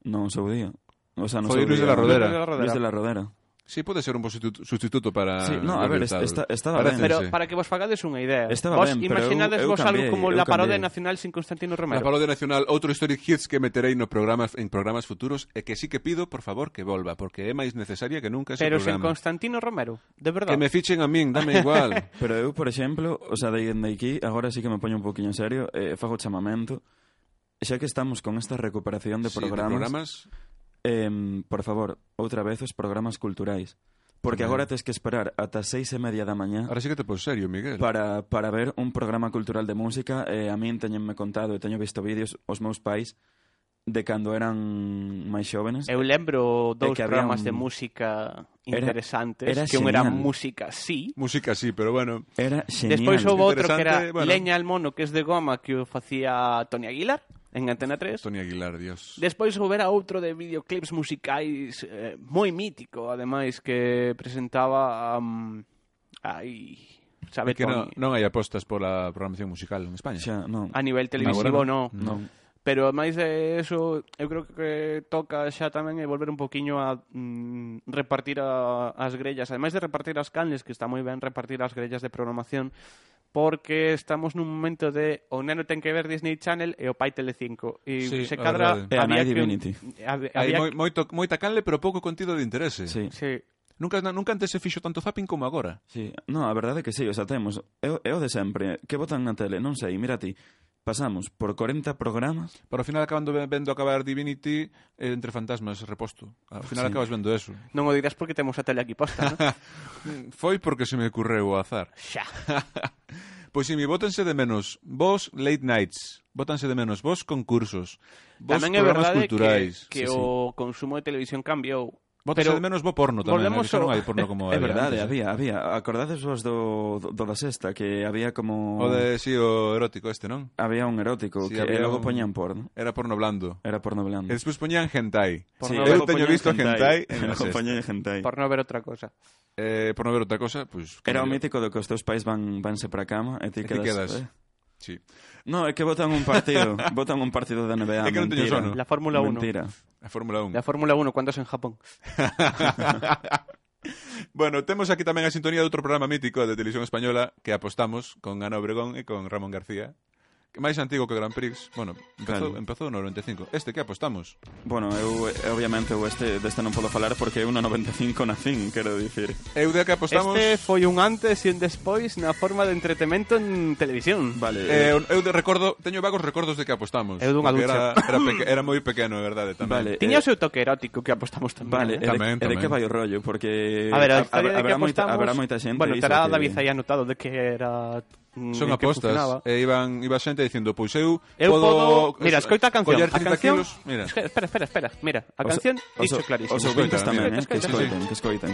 Non o seu día. O sea, no Foi seu Luis de día. la Rodera. Luis de la Rodera. Luis de la Rodera. Sí, pode ser un bo sustitu- sustituto para... Sí, no, a Jordi ver, Hurtado. está- estaba Parécense. Pero para que vos fagades unha idea, Estaba vos ben, pero imaginades eu- eu vos algo cambiei, como eu la parodia cambiei. nacional sin Constantino Na Romero. parodia nacional, outro Historic Hits que meterei no programas, en programas futuros e que sí que pido, por favor, que volva, porque é máis necesaria que nunca ese Pero sen programa. Constantino Romero, de verdade. Que me fichen a min, dame igual. Pero eu, por exemplo, o sea, de aquí, agora sí que me poño un poquinho en serio, eh, fago chamamento. Xa que estamos con esta recuperación de Sí, programas, programas eh, por favor, outra vez os programas culturais. Porque Tamén. agora tes que esperar ata seis e media da mañá Ahora sí que te pon serio, Miguel. para, para ver un programa cultural de música. Eh, a min teñenme contado e teño visto vídeos os meus pais de cando eran máis xóvenes. Eu lembro dous que había programas un- de música Era- interesantes, era que un era genial. música, sí. Música sí, pero bueno. Era genial. Despois houve outro que era Interesante, bueno. Leña al mono, que es de goma, que o facía Tony Aguilar en Antena tres. Tony Aguilar, Dios. Despois houbera outro de videoclips musicais eh, moi mítico, ademais, que presentaba um, ai, sabe É que non, Tony. non hai apostas pola programación musical en España. Xa, non. A nivel televisivo, Agora no. non. Pero máis de eso, eu creo que toca xa tamén é volver un poquiño a mm, repartir a, as grellas. Ademais de repartir as canles, que está moi ben repartir as grellas de programación, porque estamos nun momento de o neno ten que ver Disney Channel e o pai Telecinco. E Sí, se a cadra... verdade. E a había Night que- Divinity. hab- Hai había moi, moito, moita canle, pero pouco contido de interese. Sí. Sí. Nunca, nunca antes se fixo tanto zapping como agora. Sí, no, a verdade é que sí, o sea, temos é, o- é o de sempre, que botan na tele, non sei, mira ti, pasamos por corenta programas, Pero ao final acabando ve- vendo acabar Divinity eh, entre fantasmas reposto. Ao final Sí. acabas vendo eso. Non o dirás porque temos a tele aquí posta, non? Foi porque se me ocurreu o azar. Xa. Pois si, mi, bótense de menos vos late nights, bótanse de menos vos concursos, vos Tamén é programas verdade culturais. que, que Sí, sí. o consumo de televisión cambiou. Bótanse pero de menos bo porno tamén, volvemos eh, que xa non ao- hai porno como é había verdade, antes, eh. había, había, acordades vos do, do, do da sexta, que había como... O de, si, o erótico este, non? Había un erótico, Sí, que había e logo un- poñían porno, Era porno blando. era porno blando. E despois poñían hentai. Por Sí, no eu ver- teño poñían visto hentai en la logo sexta. poñían hentai. Por non ver outra cosa. Eh, por non ver outra cosa, pois... Era o como- mítico de que os teus pais van vanse para a cama e E ti ti quedas... quedas. eh. Sí. No, é que botan un partido, botan un partido de N B A, É que non teño mentira. sono. La Fórmula uno. Mentira. A Fórmula un. La Fórmula uno, ¿cuántos en Japón? Bueno, temos aquí tamén a sintonía de outro programa mítico de Televisión Española que apostamos con Ana Obregón e con Ramón García, que máis antigo que o Grand Prix. Bueno, empezou, Claro. empezou no noventa e cinco. Este que apostamos? Bueno, eu, eu obviamente eu este deste non podo falar porque eu no noventa e cinco nacín, quero dicir. Eu de que apostamos... Este foi un antes e un despois na forma de entretemento en televisión. Vale, Eh, eu de recordo, teño vagos recordos de que apostamos. Eu dunha porque ducha. Era, era, peque, era moi pequeno, é verdade, tamén. Vale, Tiña o eh, seu toque erótico que apostamos tamén. Vale, eh? e de, Tamén, e de tamén. que vai o rollo? Porque A ver, a ha- historia de que haberá moita, apostamos... haberá moita xente bueno, iso estará que... David aí anotado de que era... mm, Son en que apostas, funcionaba. e iban, iba xente dicindo, pois eu, Eu podo... podo... Mira, escoita a canción. coller A trinta canción... kilos, mira. Espera, espera, espera. Mira, a Os- canción os- dicho clarísimo. Os ouvintes Escoita, tamén, mira, eh, que escoita. escoiten, que escoiten.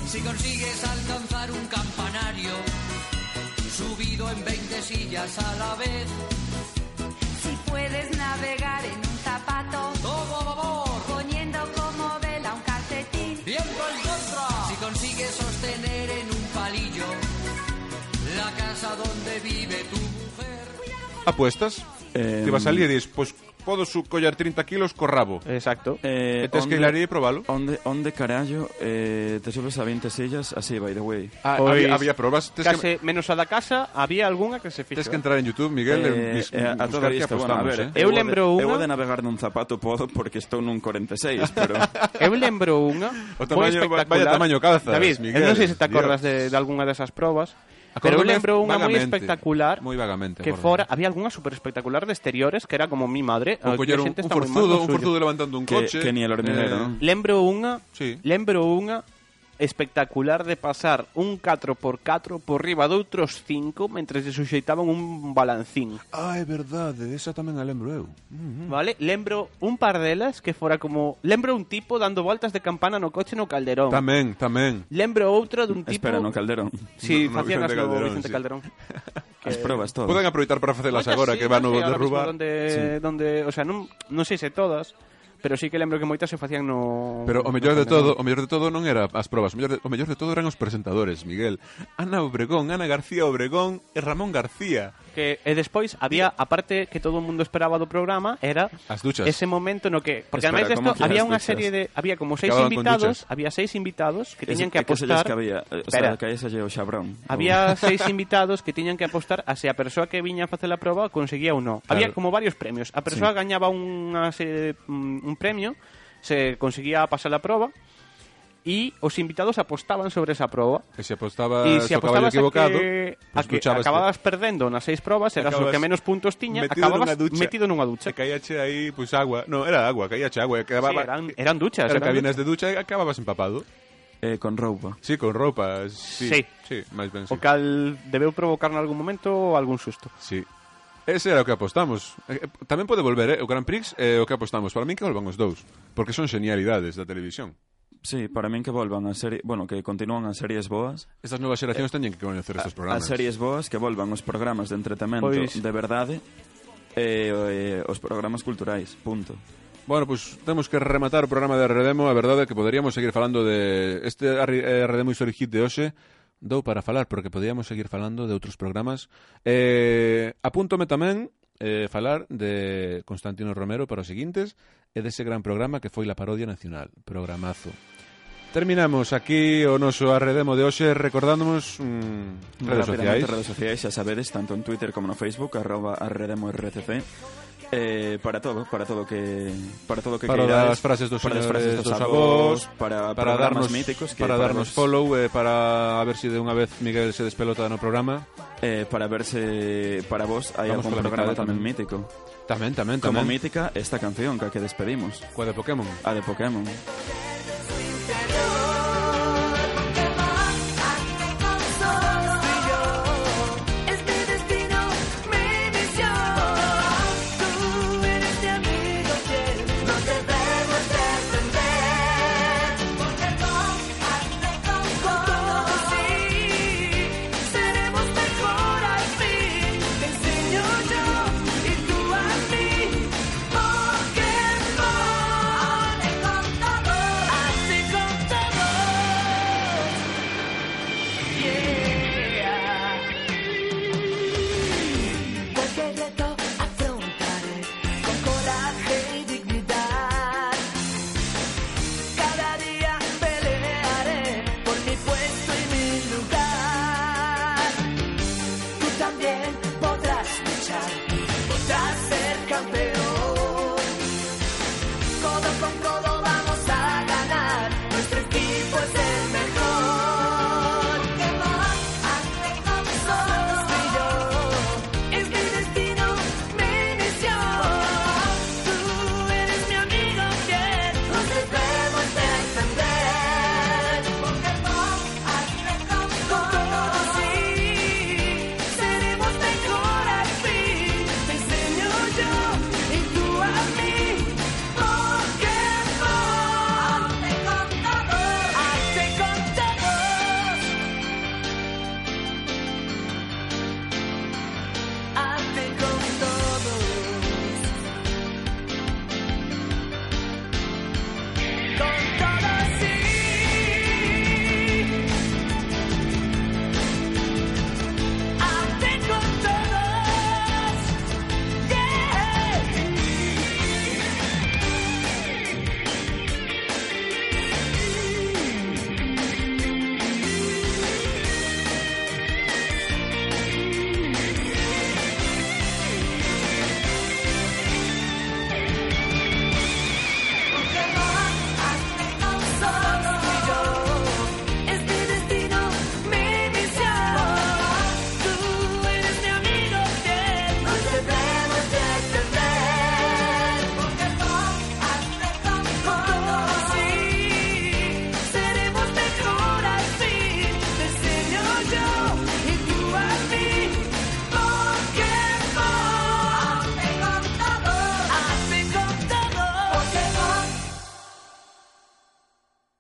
Si consigues alcanzar un campanario subido en veinte sillas a la vez, Si puedes navegar en un zapato, todo a favor, poniendo como vela un calcetín. viento en contra. Si consigues sostener en un palillo la casa donde vive tu mujer. Apuestas? Eh, Te vas a salir e dis, pois podo su coller trinta kilos co rabo. Exacto. Eh, E tes que ir ali e probalo. Onde, onde carallo eh, te subes a veinte sillas así, by the way? Ah, Pois, había, había probas. Tes Case que, menos a da casa, había algunha que se fixo. tes que entrar en YouTube, Miguel, Eh, e bis- eh, a buscar toda que vista, bueno, a apostamos, ver, eh? Eu o de- lembro unha- Eu o de navegar nun zapato podo porque estou nun corenta e seis, pero... Eu lembro unha O moi tamaño- espectacular. vaya tamaño calzas, David, Miguel, eu non sei se te Dios. acordas de, de algunha desas probas, pero eu Acórdome lembro unha moi vagamente, espectacular moi vagamente, que acórdome. fora, había algunha super espectacular de exteriores que era como mi madre, O aquí coller a un, xente un está moi mal forzudo, no un suyo. forzudo levantando un Que- coche. que ni el hormiguero, non? Lembro unha, Sí. lembro unha espectacular de pasar un catro por catro por riba de outros cinco mentre se suxeitaban un balancín. Ah, é verdade, esa tamén a lembro eu. Vale? Lembro un par delas que fora como... Lembro un tipo dando voltas de campana no coche no Calderón. Tamén, tamén. Lembro outro dun tipo... Espera, no Calderón. Sí, No- no facían Vicente as no Calderón, Vicente sí. Calderón. As probas todas. Poden aproveitar para facelas Moitas agora sí, que van non no sei ahora mismo derrubar. Donde, donde, o sea, non, non sei se todas, pero sí que lembro que moitas se facían no... Pero o mellor de todo, o mellor de todo non era as probas, o mellor de, o mellor de todo eran os presentadores, Miguel. Ana Obregón, Ana García Obregón e Ramón García. Que, e despois había, a parte que todo o mundo esperaba do programa, era As duchas. ese momento no que... Porque Espera, ademais desto ¿cómo que había as unha duchas? serie de... Había como seis Acababan con invitados, duchas. había seis invitados que Es- tiñan que é que se lles apostar... que había, o Espera. sea, que aí se lle o xabrón. Había seis invitados que tiñan que apostar a se a persoa que viña a facer a proba conseguía ou non. Claro. Había como varios premios. A persoa Sí. gañaba unha serie de, un, un premio, se conseguía pasar a proba e os invitados apostaban sobre esa proba. E se apostaba E se o caballo apostabas equivocado, a que, pues a que duchabas acababas perdendo nas seis probas, eras o Acabas que menos puntos tiña, metido acababas nunha ducha. metido nunha ducha. Se caíache aí, pois pues, agua. No, era agua, caíache agua. E Sí, acababa, eran, eran duchas. eran eran cabinas de ducha e acababas empapado. Eh, con roupa. Sí, con roupa. Sí, Sí. sí máis ben, sí. O cal debeu provocar en algún momento algún susto. Sí. Ese era o que apostamos. Eh, eh, Tamén pode volver, eh? O Grand Prix é o que apostamos. Para min que volvan os dous. Porque son genialidades da televisión. Sí, para min que volvan a serie, bueno, que continúan as series boas. Estas novas xeracións teñen que coñecer estes As programas. series boas que volvan os programas de entretemento Pois- de verdade. E eh, os programas culturais, punto. Bueno, pois pues, temos que rematar o programa de Arredemo. A verdade é que poderíamos seguir falando de este Arredemo History Hit de hoxe. Dou para falar, porque podíamos seguir falando de outros programas. Eh, apúntome tamén eh, falar de Constantino Romero para os seguintes e dese gran programa que foi La Parodia Nacional. Programazo. Terminamos aquí o noso Arredemo de hoxe recordándonos mm, redes sociais. Redes sociais, xa sabedes, tanto en Twitter como no Facebook, arroba arredemo R C C. Eh, para todo, para todo que para todo que para queirades, das frases dos para señores, frases dos, dos avós, avós, para, para darnos darnos míticos que para, para darnos vos, follow, eh, para a ver si de unha vez Miguel se despelota no programa, eh, para ver se para vos hai algún programa tamén mítico. Tamén, tamén, Como tamén. mítica esta canción que a que despedimos. Coa de Pokémon. A de Pokémon.